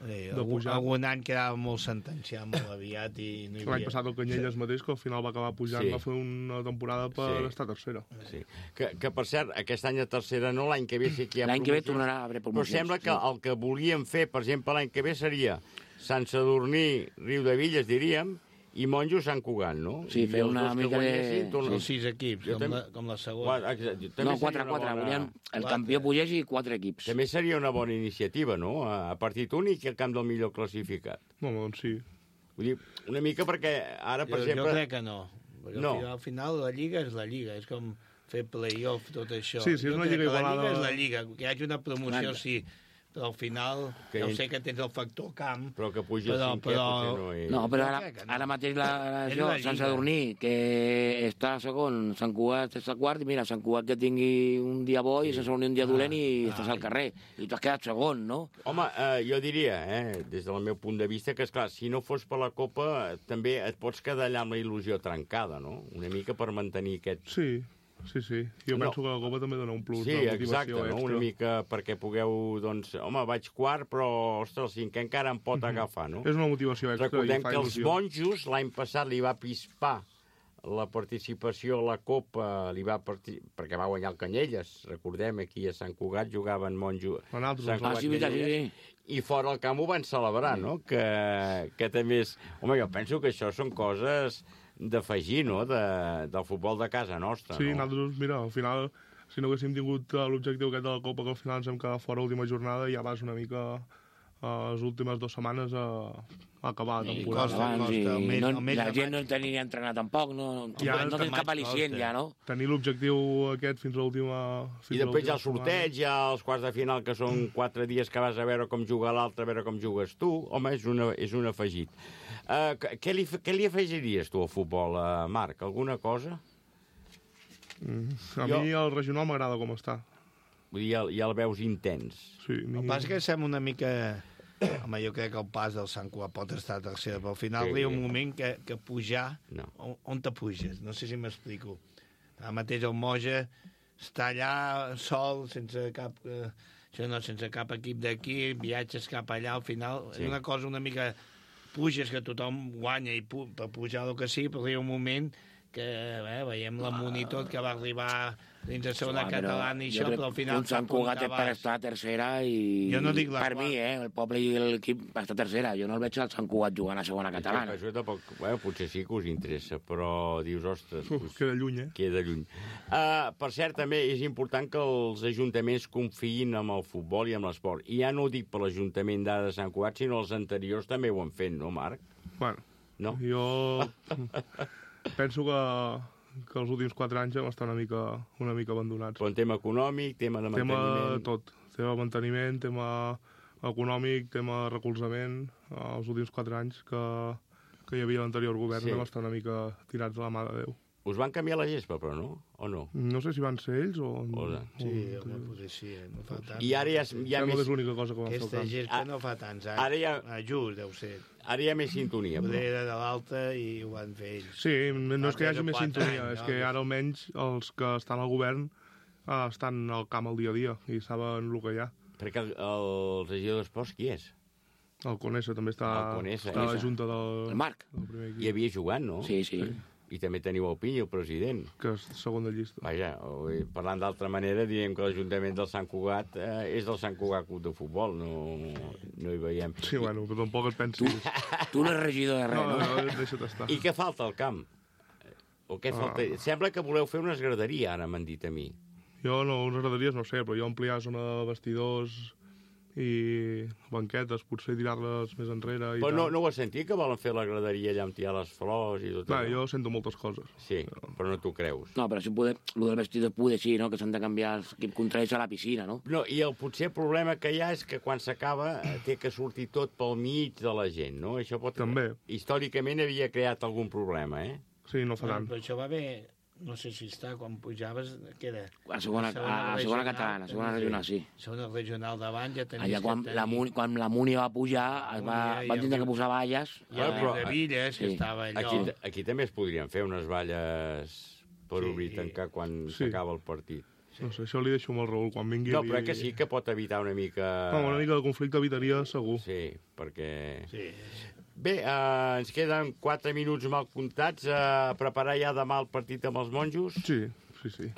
de pujar. Algun any quedava molt sentenciat, molt aviat, i no hi havia... L'any passat el Canyelles mateix, que al final va acabar pujant, va fer una temporada per estar tercera. Sí. Que, per cert, aquest any a tercera no, l'any que ve sí que hi ha l'any que ve tornarà a haver promocions. Però sembla que el que volíem fer, per exemple, l'any que ve seria Sant Sadurní, Riu de Villes, diríem, i Monjos Sant Cugat, no? Sí, fer una mica de... Sí, 6 equips, com la segona. No, 4. Volien el campió pugés i 4 equips. També seria una bona iniciativa, no? A partit únic i al camp del millor classificat. No, doncs sí. Vull dir, una mica perquè ara, per exemple... Jo crec que no. Perquè al final la Lliga és la Lliga. És com fer play-off, tot això. Sí, és una Lliga igualada. La Lliga és la Lliga. Que hi hagi una promoció, sí. Però al final, ja sé que tens el factor camp... Però que pugi el cinquè potser no és... No, però ara mateix Sant Sadurní, que està segon, Sant Cugat està quart, i mira, Sant Cugat que tingui un dia bo i Sant Sadurní un dia dolent i estàs al carrer. I tu has quedat segon, no? Home, jo diria, des del meu punt de vista, que, esclar, si no fos per la Copa, també et pots quedar allà amb la il·lusió trencada, no? Una mica per mantenir aquest... Sí. Jo penso que la Copa també dona un plus de motivació exacte, extra. No? Una mica perquè pugueu, doncs... Home, vaig quart, però, ostres, el cinquè encara em pot agafar, no? És una motivació extra. Recordem que els Monjos l'any passat li va pispar la participació a la Copa, perquè va guanyar el Canyelles. Recordem, aquí a Sant Cugat jugaven Monjos... I fora el camp ho van celebrar, no? Que també és... Home, jo penso que això són coses... d'afegir, no?, del futbol de casa nostra, sí, no? Nosaltres, mira, al final, si no haguéssim tingut l'objectiu aquest de la Copa, que al final ens hem quedat fora l'última jornada, ja vas una mica les últimes 2 setmanes a acabar la temporada. La gent no tenia entrenat tampoc, no tens cap al·licient ja, no? Tenir l'objectiu aquest fins a l'última... I després hi ha el sorteig, hi ha els quarts de final, que són 4 dies que vas a veure com juga l'altre, a veure com jugues tu. Home, és un afegit. Què li afegiries tu al futbol, Marc? Alguna cosa? A mi el regional m'agrada com està. Vull dir, ja el veus intens. Sí, el pas que sembla una mica... Home, jo crec que el pas del Sant Cugat pot estar a tercera, però al final hi ha un moment que pujar... On te puges? No sé si m'explico. Ara mateix el Moja està allà sol, sense cap... sense cap equip d'aquí, viatges cap allà, al final és una cosa una mica... Puges, que tothom guanya i per pujar el que sí, però hi ha un moment que veiem la Monitor que va arribar dins de segona catalana i això, però al final... Un Sant Cugat per estar a tercera i... Jo no dic per mi, el poble i l'equip per estar a tercera. Jo no el veig al Sant Cugat jugant a segona catalana. Això tampoc... potser sí que us interessa, però dius, ostres... Queda lluny, Queda lluny. Per cert, també és important que els ajuntaments confiïn amb el futbol i amb l'esport. I ja no ho dic per l'Ajuntament d'ara de Sant Cugat, sinó els anteriors també ho han fet, no, Marc? Bueno, jo penso que els últims 4 anys hem estat una mica abandonats. Però en tema econòmic, tema de manteniment... Tema tot. Tema de manteniment, tema econòmic, tema de recolzament. Els últims 4 anys que hi havia l'anterior govern hem estat una mica tirats a la mà de Déu. Us van canviar la gespa, però no? O no? No sé si van ser ells o... Sí, home, potser sí, no fa tant. I ara hi ha més... És l'única cosa que van fer al Aquesta camp. gespa no fa tants anys. Ara hi ha... Just, deu ser. Ara hi ha més sintonia, Poder però. era de l'alta i ho van fer ells. Sí, no és que hi hagi Fa més 3 o 4 sintonia, anys, és no? que ara almenys els que estan al govern estan al camp al dia a dia i saben el que hi ha. Perquè el regidor d'Esports qui és? El Conesa també està a la junta del... El Marc. Hi havia jugant, no? Sí, sí. I també teniu el Pinyo, el president. Que és segona llista. Vaja, parlant d'altra manera, diríem que l'Ajuntament del Sant Cugat és del Sant Cugat Club de Futbol, no hi veiem. Sí, bueno, però tampoc et pensis... Tu no ets regidor de res, no? No, deixa't estar. I què falta al camp? O què falta? Sembla que voleu fer una esgraderia, ara m'han dit a mi. Jo no, unes graderies no sé, però jo ampliar zona de vestidors i banquetes, potser tirar-les més enrere i Però tal. no ho has sentit, que volen fer la graderia allà amb tirar les flors i tot Clar, allò? jo sento moltes coses. Sí, però no t'ho creus. No, però si poder, el del vestidor poder sí, no? Que s'han de canviar els equips contraris a la piscina, no? No, i el potser problema que hi ha és que quan s'acaba té que sortir tot pel mig de la gent, no? Això pot... També. Històricament havia creat algun problema, eh? Sí, no fa tant. Però això va bé, no sé si està, quan pujaves, què era? A segona catalana, a segona regional, sí. Segona regional davant ja tenies... Allà quan la Múnia va pujar, van tindre que posar valles. Hi havia de Villes, que estava allò... Aquí també es podrien fer unes valles per obrir i tancar quan s'acaba el partit. No sé, això li deixo amb el Raül quan vingui. No, però que sí que pot evitar una mica... No, una mica de conflicte evitaria segur. Sí, perquè... Sí. Bé, ens queden 4 minuts mal comptats a preparar ja demà el partit amb els monjos. Sí.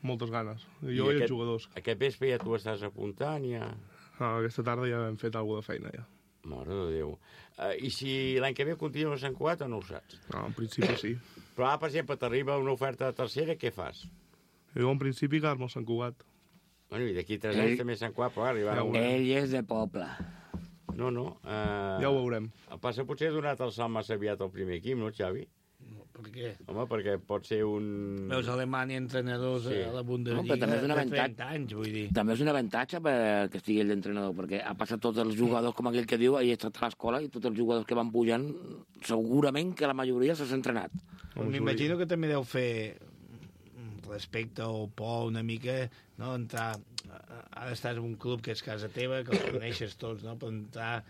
Moltes ganes. Jo i els jugadors. Aquest vespre ja tu estàs apuntant, ja... Aquesta tarda ja hem fet alguna de feina, ja. Mare de Déu. I si l'any que ve continua a Sant Cugat o no ho saps? No, en principi sí. Però ara, per exemple, t'arriba una oferta de tercera, què fas? Jo en principi quedar-me al Sant Cugat. Bueno, i d'aquí 3 anys també a Sant Cugat, però arribarà una... Ell és de poble. No. Ja ho veurem. El passa potser ha donat el salt massa aviat al primer equip, no, Xavi? No, per què? Home, perquè pot ser un... Veus Alemanya entrenadors a la Bundesliga no, també és un de 30 anys, vull dir. També és un avantatge que estigui ell d'entrenador, perquè ha passat tots els jugadors, com aquell que diu, ha estat a l'escola i tots els jugadors que van pujant, segurament que la majoria s'ha entrenat. M'imagino que també deu fer respecte o por una mica, no? Entrar... Ara estàs en un club que és casa teva, que els coneixes tots, no? Però entrar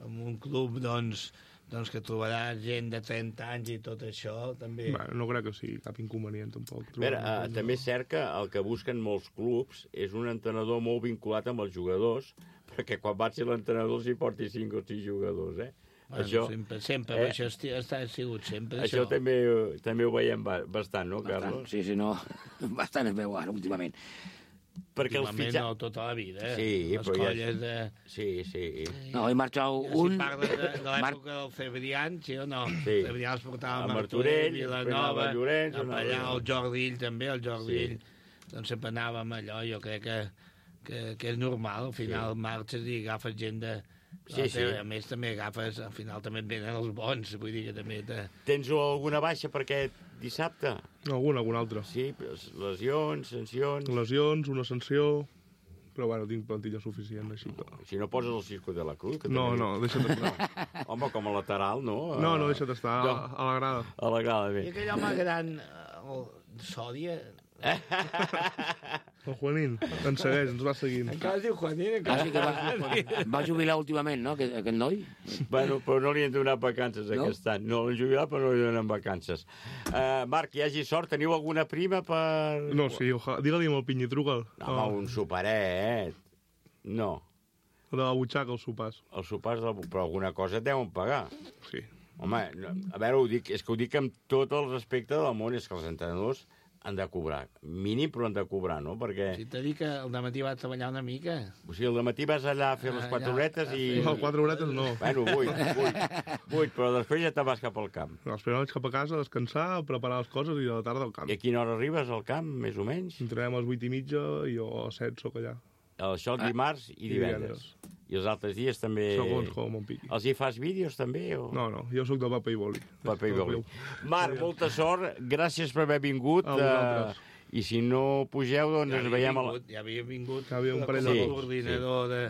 en un club, doncs que trobaràs gent de 30 anys i tot això, també... Bueno, no crec que sigui cap inconvenient, tampoc. A veure, també és cert que el que busquen molts clubs és un entrenador molt vinculat amb els jugadors, perquè quan va ser l'entrenador els hi porti 5 o 6 jugadors, eh? Bueno, això, sempre, això ha sigut sempre. Això també ho veiem bastant, no, Carlos? Sí, no, bastant es veu ara, últimament. Perquè últimament no, tota la vida, Sí, les colles de... Sí. No, he marxat un... Si parles de l'època del Cebrián, sí o no? Sí. Cebrián els portava a Martorell, Vilanova, Llorenç, allà el Jordi Ill també, doncs sempre anàvem allò, jo crec que és normal, al final marxes i agafes gent de... Sí. A més també agafes, al final també et venen els bons, vull dir que també... Tens alguna baixa per aquest dissabte? Alguna altra. Sí, lesions, sancions... Lesions, una sanció... Però bueno, tinc plantilla suficient, així que... Si no poses el Cisco de la Cruz... Que no, deixa't estar. Home, com a lateral, no? No, deixa't estar, a la grada. A la grada, bé. I aquell home gran, el Sòdia... El Juanín ens segueix, ens va seguint. Encara es diu Juanín, encara... Sí que va jubilar últimament, no, aquest noi? Bueno, però no li han donat vacances aquest any. No l'han jubilat, però no li donen vacances. Marc, hi hagi sort. Teniu alguna prima per... No, sí, digue-li amb el Pinyi, truca'l. No, home, un superet. No. De la butxaca, els sopars. Els sopars, però alguna cosa et deuen pagar. Sí. Home, a veure, és que ho dic amb tot el respecte del món, és que els entrenadors han de cobrar. Mínim, però han de cobrar, no? Perquè... Si t'he dit que el dematí va treballar una mica... O sigui, el dematí vas allà a fer les 4 horetes i... No, 4 horetes no. Bueno, 8, però després ja te'n vas cap al camp. No, després vaig cap a casa a descansar, a preparar les coses i a la tarda al camp. I a quina hora arribes al camp, més o menys? Entrenem a les 8:30 i jo a les 7 soc allà. Això dimarts i divendres. I els altres dies també... Segons com em piqui. Els hi fas vídeos també? O... No, jo sóc de paper i boli. Paper i boli. Marc, molta sort, gràcies per haver vingut. I si no pugeu, doncs ens veiem a la... Ja havia vingut un parell de coordinador de...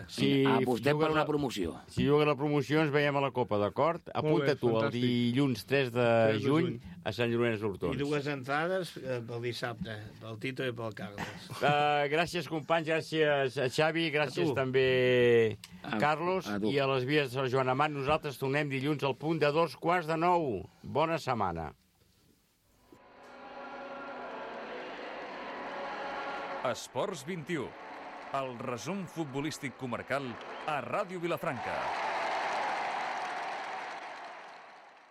Apostem per una promoció. Si juga la promoció, ens veiem a la Copa, d'acord? Apunta tu, el dilluns 3 de juny a Sant Llorenç d'Hortons. I 2 entrades pel dissabte, pel Tito i pel Carles. Gràcies, companys, gràcies a Xavi, gràcies també a Carlos i a les vies de Joan Amat. Nosaltres tornem dilluns al punt de 8:45. Bona setmana. Esports 21, el resum futbolístic comarcal a Ràdio Vilafranca.